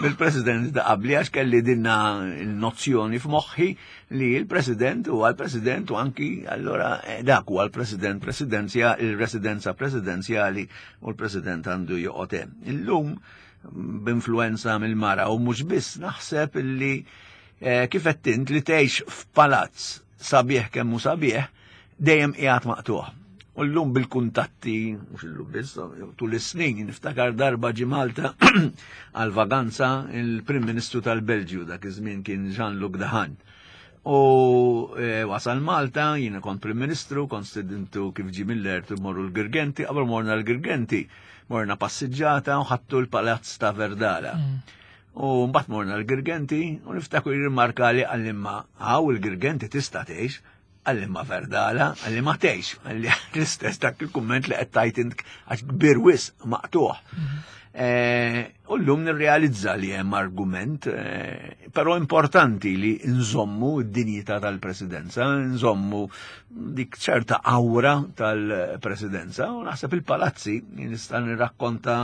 mill-president ta' qabli għax kelli dinna il-nozzjoni f'moħħi li il-president huwa l-president u anki allora eh, dak huwa l-president presidenzja il-residenza presidenzjali u l-president għandu joqgħod hemm. Illum b'influenza mill-mara u mhux biss naħseb li eh, kif qed int li tgħix f'palazz sabiħ kemm hu sabiħ dejjem qiegħed maqtuħ. U llum bil-kuntatti, mhux illum biss, tul is-snin, niftakar darba ġi Malta għal vaganza il-Prim Ministru tal-Belġju dak iż-żmien kien Jean-Luc Dehaene. U e, wasal Malta, jiena kont Prim Ministru, kont stedintu kif ġi mill-ert morru l-Girgenti, qabel morna l-Girgenti, morna passiġġata u ħadtu l-Palazz ta' Verdala. U mbagħad morna l-Girgenti u niftakru jirrimarka li qalli imma hawn il-Girgenti tista' tgħix, qalli imma Verdala, qalli ma tgħix, qalli l-istess dak il-kumment li qed tajt int għax kbir wisq maqtuħ. Eh, U llum nirrealizza li hemm argument, eh, però importanti li nżommu d-dinjità tal-presidenza, nżommu dik ċerta aura tal-presidenza, u naħseb il-palazzi, nista' nirrakkonta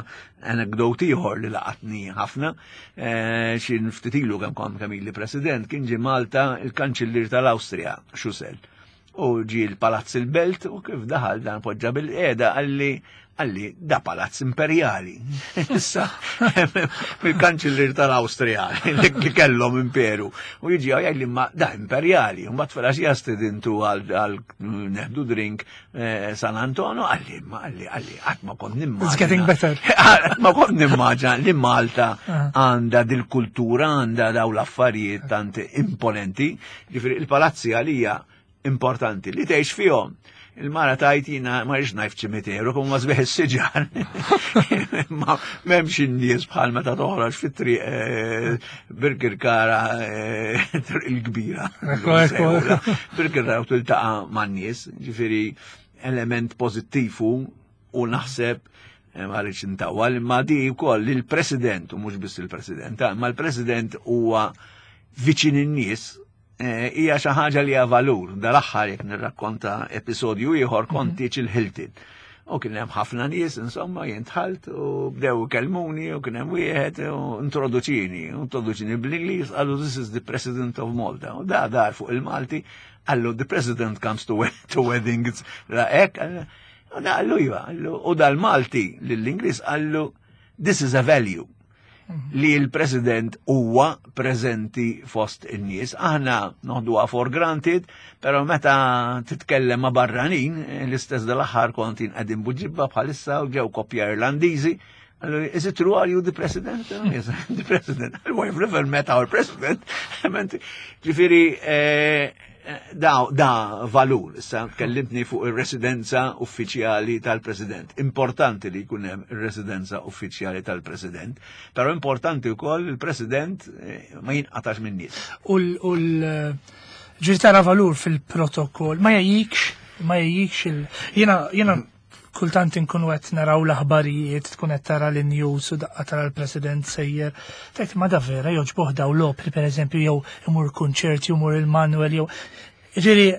anekdot ieħor li laqatni ħafna, eh, xi ftit ilu kemm kont kemm ili president, kien ġie Malta il-kanċillier tal-Awstrija, Schüssel. U ġi l-Palazz il-Belt u kif daħal dan poġġa bil-qiegħda qalli qalli da palazz imperjali. Issa, mill-kanċillier tal-Awstrija li kellhom imperu. U jiġi għaj li ma da imperjali. U mbagħad filgħaxija stedintu għal nieħdu drink eh, San Antonio, qalli ma qalli qalli qatt ma kont nimmaġina. It's getting better. Qatt ma kont nimmaġina li Malta Ah. għandha dil-kultura, għandha daw l-affarijiet tant imponenti. Ġifieri il-palazzi għalija importanti li tgħix fihom. Il-mara tajt jiena ma rridx ngħid ċimiteru, kum ma sbieħ is-siġar. Ma m'hemmx in-nies bħal meta toħroġ fit-triq eh, Birkirkara eh, triq il-kbira. Ekku, ekku. Birkirkara u tiltaqa' man-nies, ġifieri element pożittiv hu u naħseb eh, ma rridx intawwal, imma di wkoll il-President u mhux biss il-President, ah, ma l-President huwa viċin in-nies eh, hija xi ħaġa li hija valur. Dal-aħħar jekk nirrakkonta episodju ieħor kont tieġ il-Hilton. U kien hemm ħafna nies, insomma, jien dħalt u bdew ikellmuni u kien hemm wieħed u introduċini, u introduċini bl-Ingliż, qallu this is the President of Malta. U da dar fuq il-Malti, qallu the President comes to, to weddings. La hekk, u da qallu iva, qallu, u dal-Malti lill-Ingliż qallu this is a value li l-President huwa preżenti fost in-nies. Aħna noħduha for granted, però meta titkellem ma' barranin, l-istess dal-aħħar kont qegħdin Buġibba bħalissa u ġew koppja Irlandiżi. Qallu, is it true, are you the president? Oh, yes, I'm the president. Well, I've never met our president. Ġifieri, eh, da, da valur, issa kellimtni fuq ir-residenza uffiċjali tal-President. Importanti li jkun hemm ir-residenza uffiċjali tal-President, però importanti wkoll il-President eh, ma jinqatax minn nies. U l- u l- ġiri tara valur fil-protokoll, ma jgħajjikx, ma jgħajjikx il... Jena, jena kultant inkunu qed naraw l-aħbarijiet, tkun qed tara l-news u daqqa tara l-President sejjer. Tgħid ma da vera joġboh daw l-opri per eżempju jew imur kunċerti, imur il-Manuel jew. Ġiri,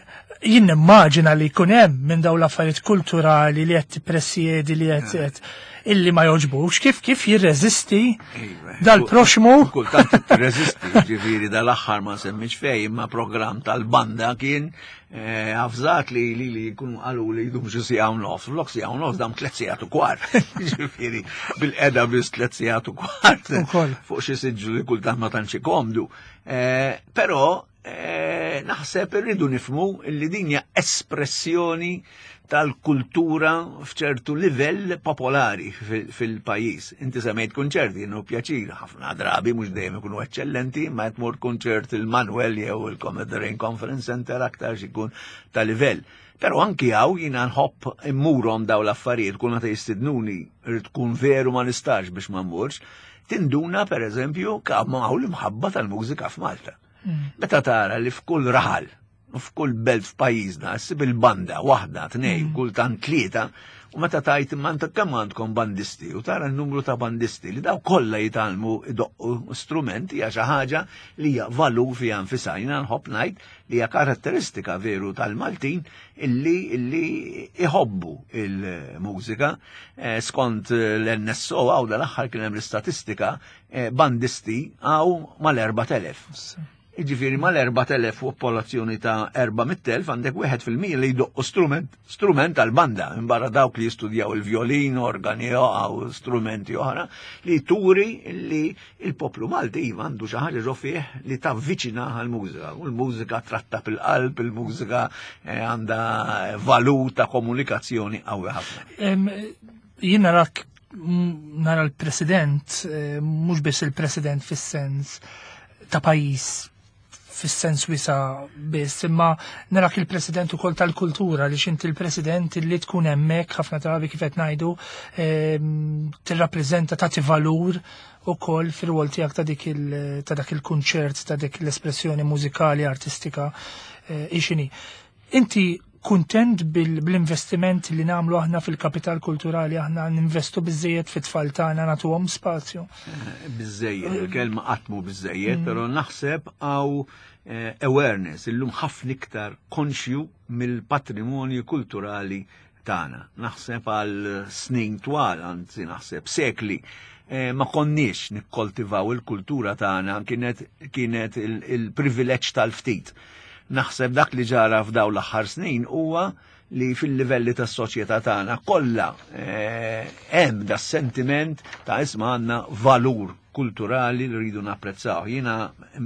jien nimmaġina li jkun hemm minn daw l-affarijiet kulturali li qed tippresjedi li qed qed illi ma joġbux, kif kif jirreżisti Iva. dal-proxmu Kultant tirreżisti, ġifieri dal-aħħar ma semmix fej, imma program tal-banda kien eh, avżat li li li jkunu qalu li jdum xi siegħa u nofs, flok siegħa u nofs dam tliet sigħat u kwart. Ġifieri bil-qeda biss tliet sigħat u kwart. Ukoll. Fuq xi siġġu li kultant ma tantx komdu. Eh, Però eh, naħseb irridu nifhmu li din hija espressjoni tal-kultura f'ċertu livell popolari fil- fil-pajjiż. Inti semmejt konċerti, jenu pjaċir, ħafna drabi, mhux dejjem ikunu eccellenti, ma tmur konċert il-Manuel jew il-Commodore Conference Center aktar ikun ta' livell. Però anki hawn jiena nħobb immurhom daw l-affarijiet, kull meta jistidnuni, irid tkun veru ma nistax biex ma mmurx, tinduna per eżempju kemm hawn l-imħabba tal-mużika f'Malta. Mm. Meta tara li f'kull raħal, f'kull belt f'pajjiżna, ssib il-banda waħda, tnej, mm. kultant tlieta, u meta tajt imma inta kemm għandkom bandisti, u tara n-numru ta' bandisti li daw kollha jitgħallmu idoqqu strumenti, hija xi ħaġa li hija valur fiha nfisha. Jiena nħobb ngħid li hija karatteristika veru tal-Maltin illi illi iħobbu il-mużika. Eh, skont l-N S O għaw dal-aħħar kien hemm l-istatistika, eh, bandisti hawn mal-erbat elef. Iġifieri mal-erbat elef popolazzjoni ta' erba' mitt elf għandek wieħed fil-mija li jdoqqu strument, strument tal-banda, barra dawk li jistudjaw il-violin, organi u strumenti oħra, li turi li il-poplu Malti iva għandu xi ħaġa ġo fih li tavviċina għal-mużika. U l-mużika tratta fil-qalb, il-mużika eh, għandha valur ta' komunikazzjoni qawwi ħafna. Jien narak nara l-president, eh, mhux biss il-president fis-sens ta' pajjiż, fis-sens wiesa' biss, imma narak il-president ukoll tal-kultura, li xinti il-president li tkun hemmhekk ħafna drabi, kif qed ngħidu, ehm, tirrappreżenta, tagħti valur ukoll fir-rwol tiegħek ta' dik ta' dak il-kunċert, ta' dik l-espressjoni mużikali, artistika, eh, ixini. Inti kuntent bil-investiment li nagħmlu aħna fil-kapital kulturali? Aħna ninvestu biżejjed fit-tfal tagħna, nagħtuhom spazju? Eh, biżejjed, il-kelma qatt mhu biżejjed, mm. però naħseb hawn eh, awareness, illum ħafna iktar konxju mill-patrimonju kulturali tagħna. Naħseb għal snin twal, anzi naħseb sekli, eh, ma konniex nikkoltivaw il-kultura tagħna, kienet kienet il-privileġġ tal-ftit. Naħseb dak li ġara f'daw l-aħħar snin huwa li fil-livelli tas-soċjetà tagħna kollha eh, hemm da sentiment ta' isma' għandna valur kulturali li rridu napprezzaw. Jiena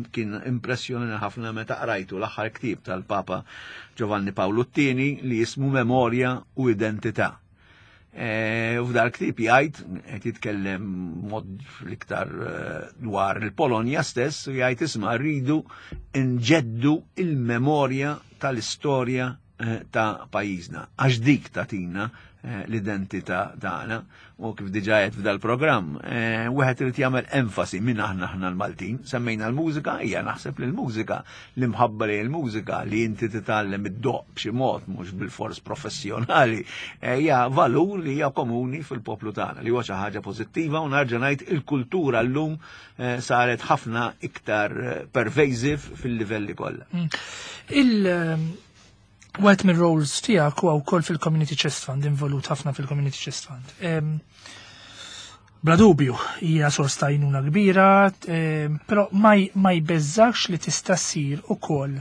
kien impressjoni ħafna meta qrajtu l-aħħar ktieb tal-Papa Giovanni Paolo two li jismu Memorja u Identità. E, u f'dal ktieb jgħid, qed jitkellem mod l-iktar eh, dwar il-Polonja stess, u jgħid, isma', rridu nġeddu il-memorja tal-istorja eh, ta' pajjiżna, għax dik tagħtina eh, l-identità tagħna. U kif diġà qed f'dal-programm, wieħed irid jagħmel enfasi minn aħna aħna l-Maltin. Semmejna l-mużika, hija naħseb li l-mużika, l-imħabba li l-mużika li inti titgħallem id-doq b'xi mod mhux bil-fors professjonali, hija valur li hija komuni fil-poplu tagħna, li huwa xi ħaġa pożittiva, u nerġa' ngħid il-kultura llum saret ħafna iktar pervasive fil-livelli kollha. Mm. Il Wieħed mir roles tiegħek huwa wkoll fil-Community Chest Fund, involut ħafna fil-Community Chest Fund. Bla dubju, hija sors ta' għajnuna kbira, però ma jbeżżax li tista' ssir ukoll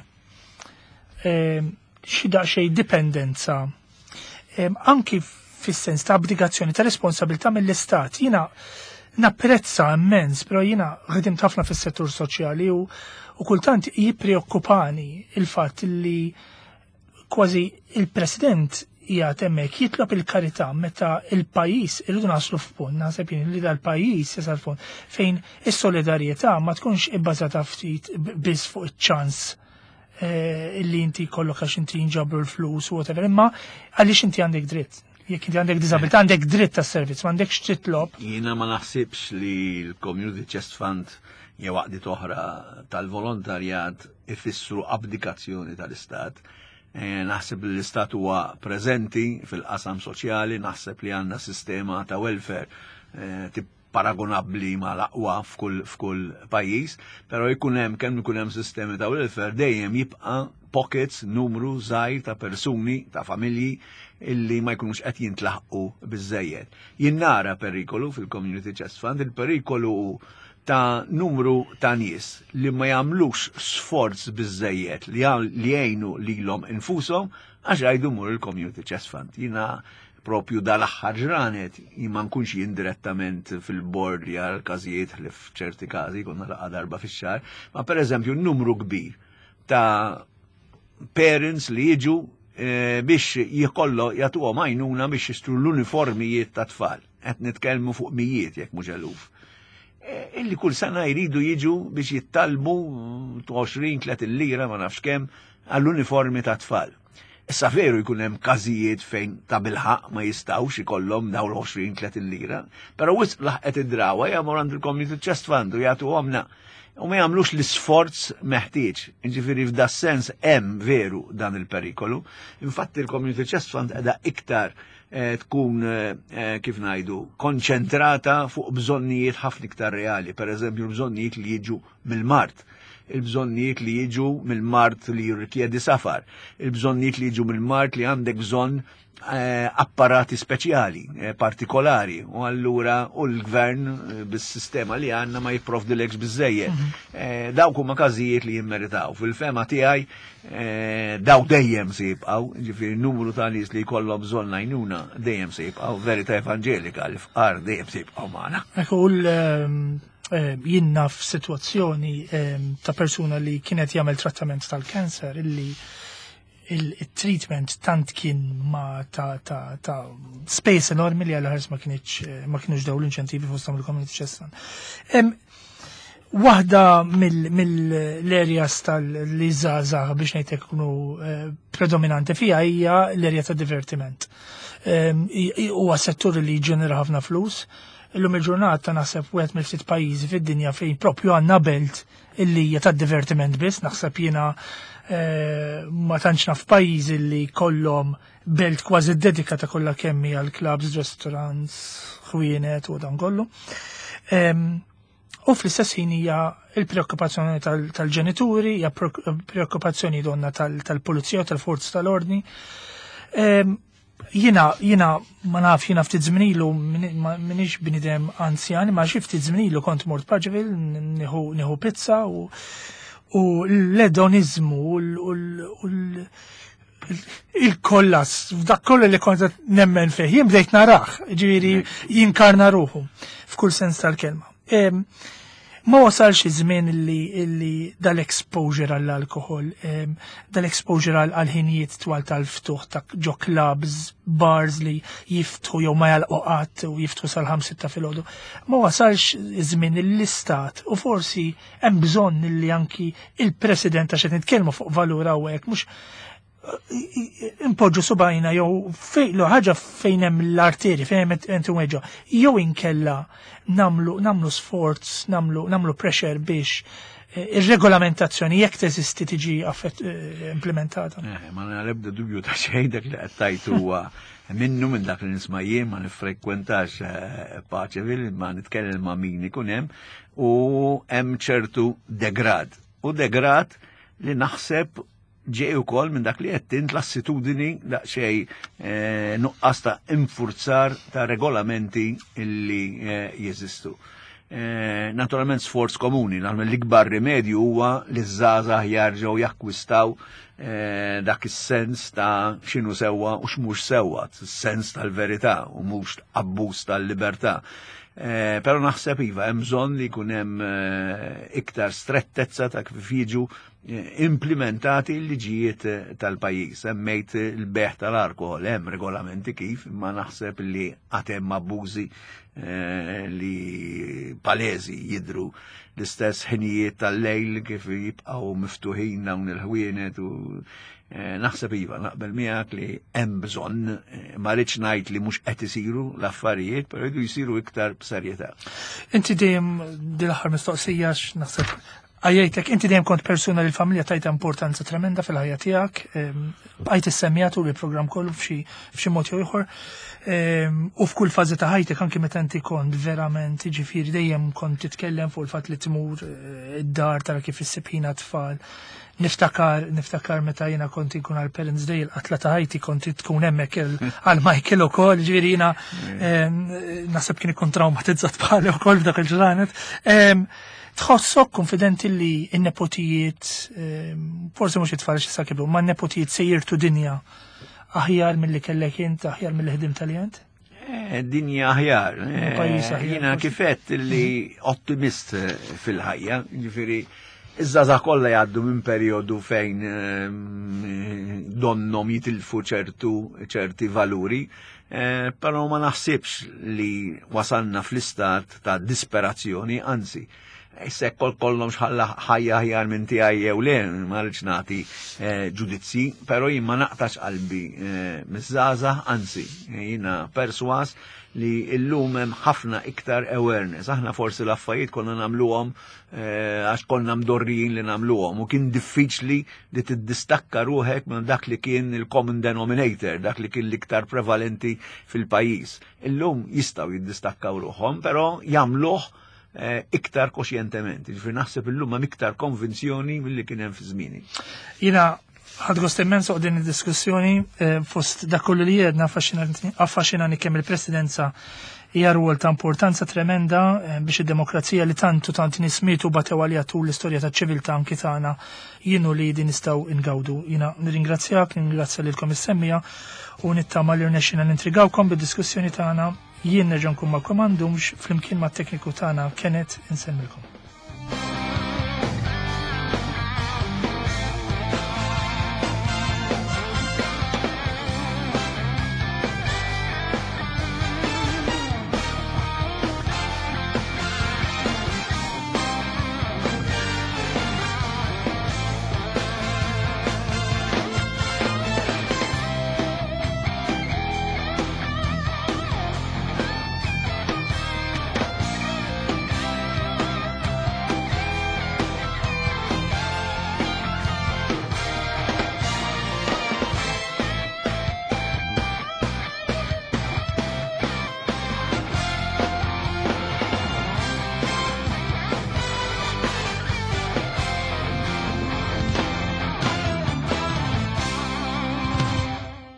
xi daqsxejn dipendenza anki fis-sens ta' abdigazzjoni ta' responsabilità mill-istat? Jiena napprezza immens, però jiena ħdimt ħafna fis-settur soċjali u, u kultant jippreokkupani il-fatt li kważi il-President qiegħed hemmhekk jitlob il-karità meta il-pajjiż irridu naslu f'punt, naħseb jien li dal-pajjiż jasal f'punt fejn is-solidarjetà ma tkunx ibbażata ftit biss fuq iċ-ċans eh, illi inti kollok għax inti jinġabru l-flus u whatever, imma għaliex inti għandek dritt. Jekk inti għandek disabilità, għandek dritt tas servizz, ma għandekx titlob. Jiena ma naħsibx li l-Community Chest Fund jew għaqdiet oħra tal-volontarjat ifissru abdikazzjoni tal-Istat. Eh, naħseb li l-Istat huwa preżenti fil-qasam soċjali, naħseb li għandna sistema ta' welfare eh, paragonabbli ma l-aqwa f'kull f'kull pajjiż, però jkun hemm kemm ikun hemm sistemi ta' welfare, dejjem jibqa' pockets, numru żgħir ta' persuni, ta' familji illi ma jkunux qed jintlaħqu biżejjed. Jien nara perikolu fil-Community Chest Fund, il-perikolu ta' numru ta' nies li ma jagħmlux sforz biżejjed li jgħinu lilhom infushom għax jgħidu mur il-Community Chest Fund. Jiena propju dal-aħħar ġranet, jien ma nkunx jien direttament fil-board li għal każijiet li f'ċerti każi konna laqgħa darba fix-xahar, ma per eżempju numru kbir ta' parents li jiġu eh, biex jikollu jagħtuhom għajnuna biex jixtru l-uniformijiet ta' tfal. Qed nitkellmu fuq mijiet jekk mhux eluf. Eh, illi kull sena jridu jiġu biex jittalbu għoxrin tletin lira, ma nafx kemm, għall-uniformi ta' tfal. Issa veru jkun hemm każijiet fejn ta' bilħaq ma jistgħux ikollhom dawn l-għoxrin tletin lira, però wisq laħqet id-drawa jagħmlu għand il-Community Chest Fund u jagħtuhomna u ma jagħmlux l-isforz meħtieġ. Jiġifieri f'da sens hemm veru dan il-perikolu. Infatti il-Community Chest Fund qiegħda iktar eh, tkun eh, kif ngħidu konċentrata fuq bżonnijiet ħafna iktar reali, per eżempju l-bżonnijiet li jiġu mill-mard, il-bżonnijiet li jiġu mill-mard li jirrikjedi safar, il-bżonnijiet li jiġu mill-mard li għandek bżonn eh, apparati speċjali, eh, partikolari, u allura u l-gvern eh, bis-sistema li għandna ma jipprovdilekx biżejjed. Mm -hmm. Dawk huma każijiet li jimmeritaw. Fil-fehma tiegħi daw dejjem se jibqgħu, ġifieri numru ta' nies li jkollhom bżonn għajnuna dejjem se jibqgħu, verità evanġelika li fqar dejjem se jibqgħu magħna. Ekku jien naf f'sitwazzjoni ta' persuna li kienet jagħmel trattament tal-kanser illi il-treatment tant kien ma ta' ta' ta' space enormi li għal ma kienx ma kienux daw l-inċentivi fosthom il-Community Chest Fund. Waħda mill-areas tal-li żgħażagħ biex ngħidlek ikunu predominanti fija hija l-area ta' divertiment. Huwa settur li ġenera ħafna flus. Illum il-ġurnata naħseb wieħed mill-ftit pajjiżi fid-dinja fejn propju għandna belt illi hija ta' divertiment biss, naħseb jiena ma tantx naf pajjiżi li kollhom belt kważi dedikata kollha kemm għal clubs, restaurants, ħwienet u dan kollu. U fl-istess ħin hija il-preokkupazzjoni tal-ġenituri, hija preokkupazzjoni donna tal-pulizija u tal-forzi tal-ordni. Jiena, jiena ma naf, jiena ftit żmien ilu m'iniex bniedem anzjan, ma xi ftit żmien ilu kont mort Paceville nieħu pizza u u l-edonizmu u il-kollas, f'dak kollu li kont nemmen fih, jien bdejt narah, ġifieri jinkarna ruħu f'kull sens tal-kelma. Ma wasalx iż-żmien illi dal-exposure għall-alkohol, dal-exposure għal-ħinijiet twal tal-ftuħ ta' ġo clubs, bars li jiftħu jew ma jalqu qatt u jiftħu sal-ħamsa ta' filgħodu. Ma wasalx iż-żmien l-istat u forsi hemm bżonn illi anki il-President, għax qed nitkellmu fuq valur hawnhekk, mhux impoġġu subajna jew fejn ħaġa fejn hemm l-arteri fejn hemm intu weġġa, jew inkella namlu namlu sforz, namlu namlu pressure biex ir-regolamentazzjoni jekk teżisti tiġi implementata. Ma nalebda dubju ta' xejn dak li qed tajt huwa minnu minn dak li nisma' jien, ma nifrekwentax Paceville, ma nitkellem ma' min ikun hemm u hemm ċertu degrad. U degrad li naħseb ġej ukoll minn dak li qed int l-assitudini daqsxejn nuqqas ta' infurzar ta' regolamenti illi jeżistu. Naturalment sforz komuni, naturalment l-ikbar rimedju huwa li ż-żgħażagħ jarġgħu jakkwistaw dak is-sens ta' x'inhu sewwa u x'mhux sewwa, sens tal-verità u mhux abbuż tal-libertà. Però naħseb iva hemm bżonn li jkun hemm iktar strettezza ta' kif jiġu implementati l-liġijiet tal-pajjiż. Semmejt il-beħ tal-alkohol, hemm regolamenti kif, ma naħseb li għad hemm abbużi li palezi jidru l-istess ħinijiet tal-lejl kif jibqgħu miftuħin dawn il-ħwienet u naħseb iva naqbel miegħek li hemm bżonn, ma rridx ngħid li mhux qed isiru l-affarijiet, però jridu jsiru iktar b'serjetà. Inti dejjem din l-aħħar mistoqsija naħseb għajjajtek, inti dejjem kont persuna li l-familja tajta importanza tremenda fil-ħajja tiegħek, bqajt issemmija tul il-programm kollu f'xi mod jew ieħor. U f'kull fażi ta' ħajtek anki meta inti kont verament, jiġifieri dejjem kont titkellem fuq il-fatt li tmur id-dar tara kif issib ħin tfal. Niftakar, niftakar meta jiena kont inkun għal Parents Day, il-qatla ta' ħajti kont tkun hemmhekk għal Michael ukoll, ġifieri jiena naħseb kien ikun traumatizzat bħali wkoll f'dak il-ġranet. Tħossok konfidenti li n-nepotijiet, forsi mhux it-tfal xi sakiblu, ma n-nepotijiet se jirtu dinja aħjar milli kellek int, aħjar milli ħdimt tal-jent? Dinja aħjar. Jiena kifet li ottimist fil-ħajja, ġifieri iż-żgħażagħ kollha jgħaddu minn perjodu fejn donnom jitilfu ċertu ċerti valuri, però ma naħsibx li wasalna fl-istat ta' disperazzjoni, anzi, Issa kol kollhom xħalla ħajja aħjar minn tiegħi jew le, ma rridx nagħti eh, ġudizzi, però jien ma naqtax qalbi eh, miż-żgħażagħ, anzi, jiena perswas li illum hemm ħafna iktar awareness. Aħna forsi l-affarijiet konna nagħmluhom eh, għax konna mdorrijin li nagħmluhom u kien diffiċli li tiddistakka ruħek minn dak li kien il-common denominator, dak li kien l-iktar prevalenti fil-pajjiż. Illum jistgħu jiddistakkaw ruħhom, però jagħmluh eh, iktar koxjentement. Ġifieri naħseb illum hemm iktar konvinzjoni milli kien hemm fi żmieni. Jiena ħadt gost immens din id-diskussjoni eh, fost dak kollu li jedna affaxxinani kemm il-presidenza hija rwol ta' importanza tremenda eh, biex id-demokrazija li tantu tant nies mietu batew għalija tul l-istorja ta' ċiviltà anki tagħna jienu li din nistgħu ingawdu. Jiena nirringrazzjak, nirringrazzja lilkom is-semmiegħa u nittama li rnexxina nintrigawkom bid-diskussjoni tagħna. Jien nerġa' nkun magħkom m'għandhomx flimkien mat-tekniku tagħna Kenneth insemmilkom.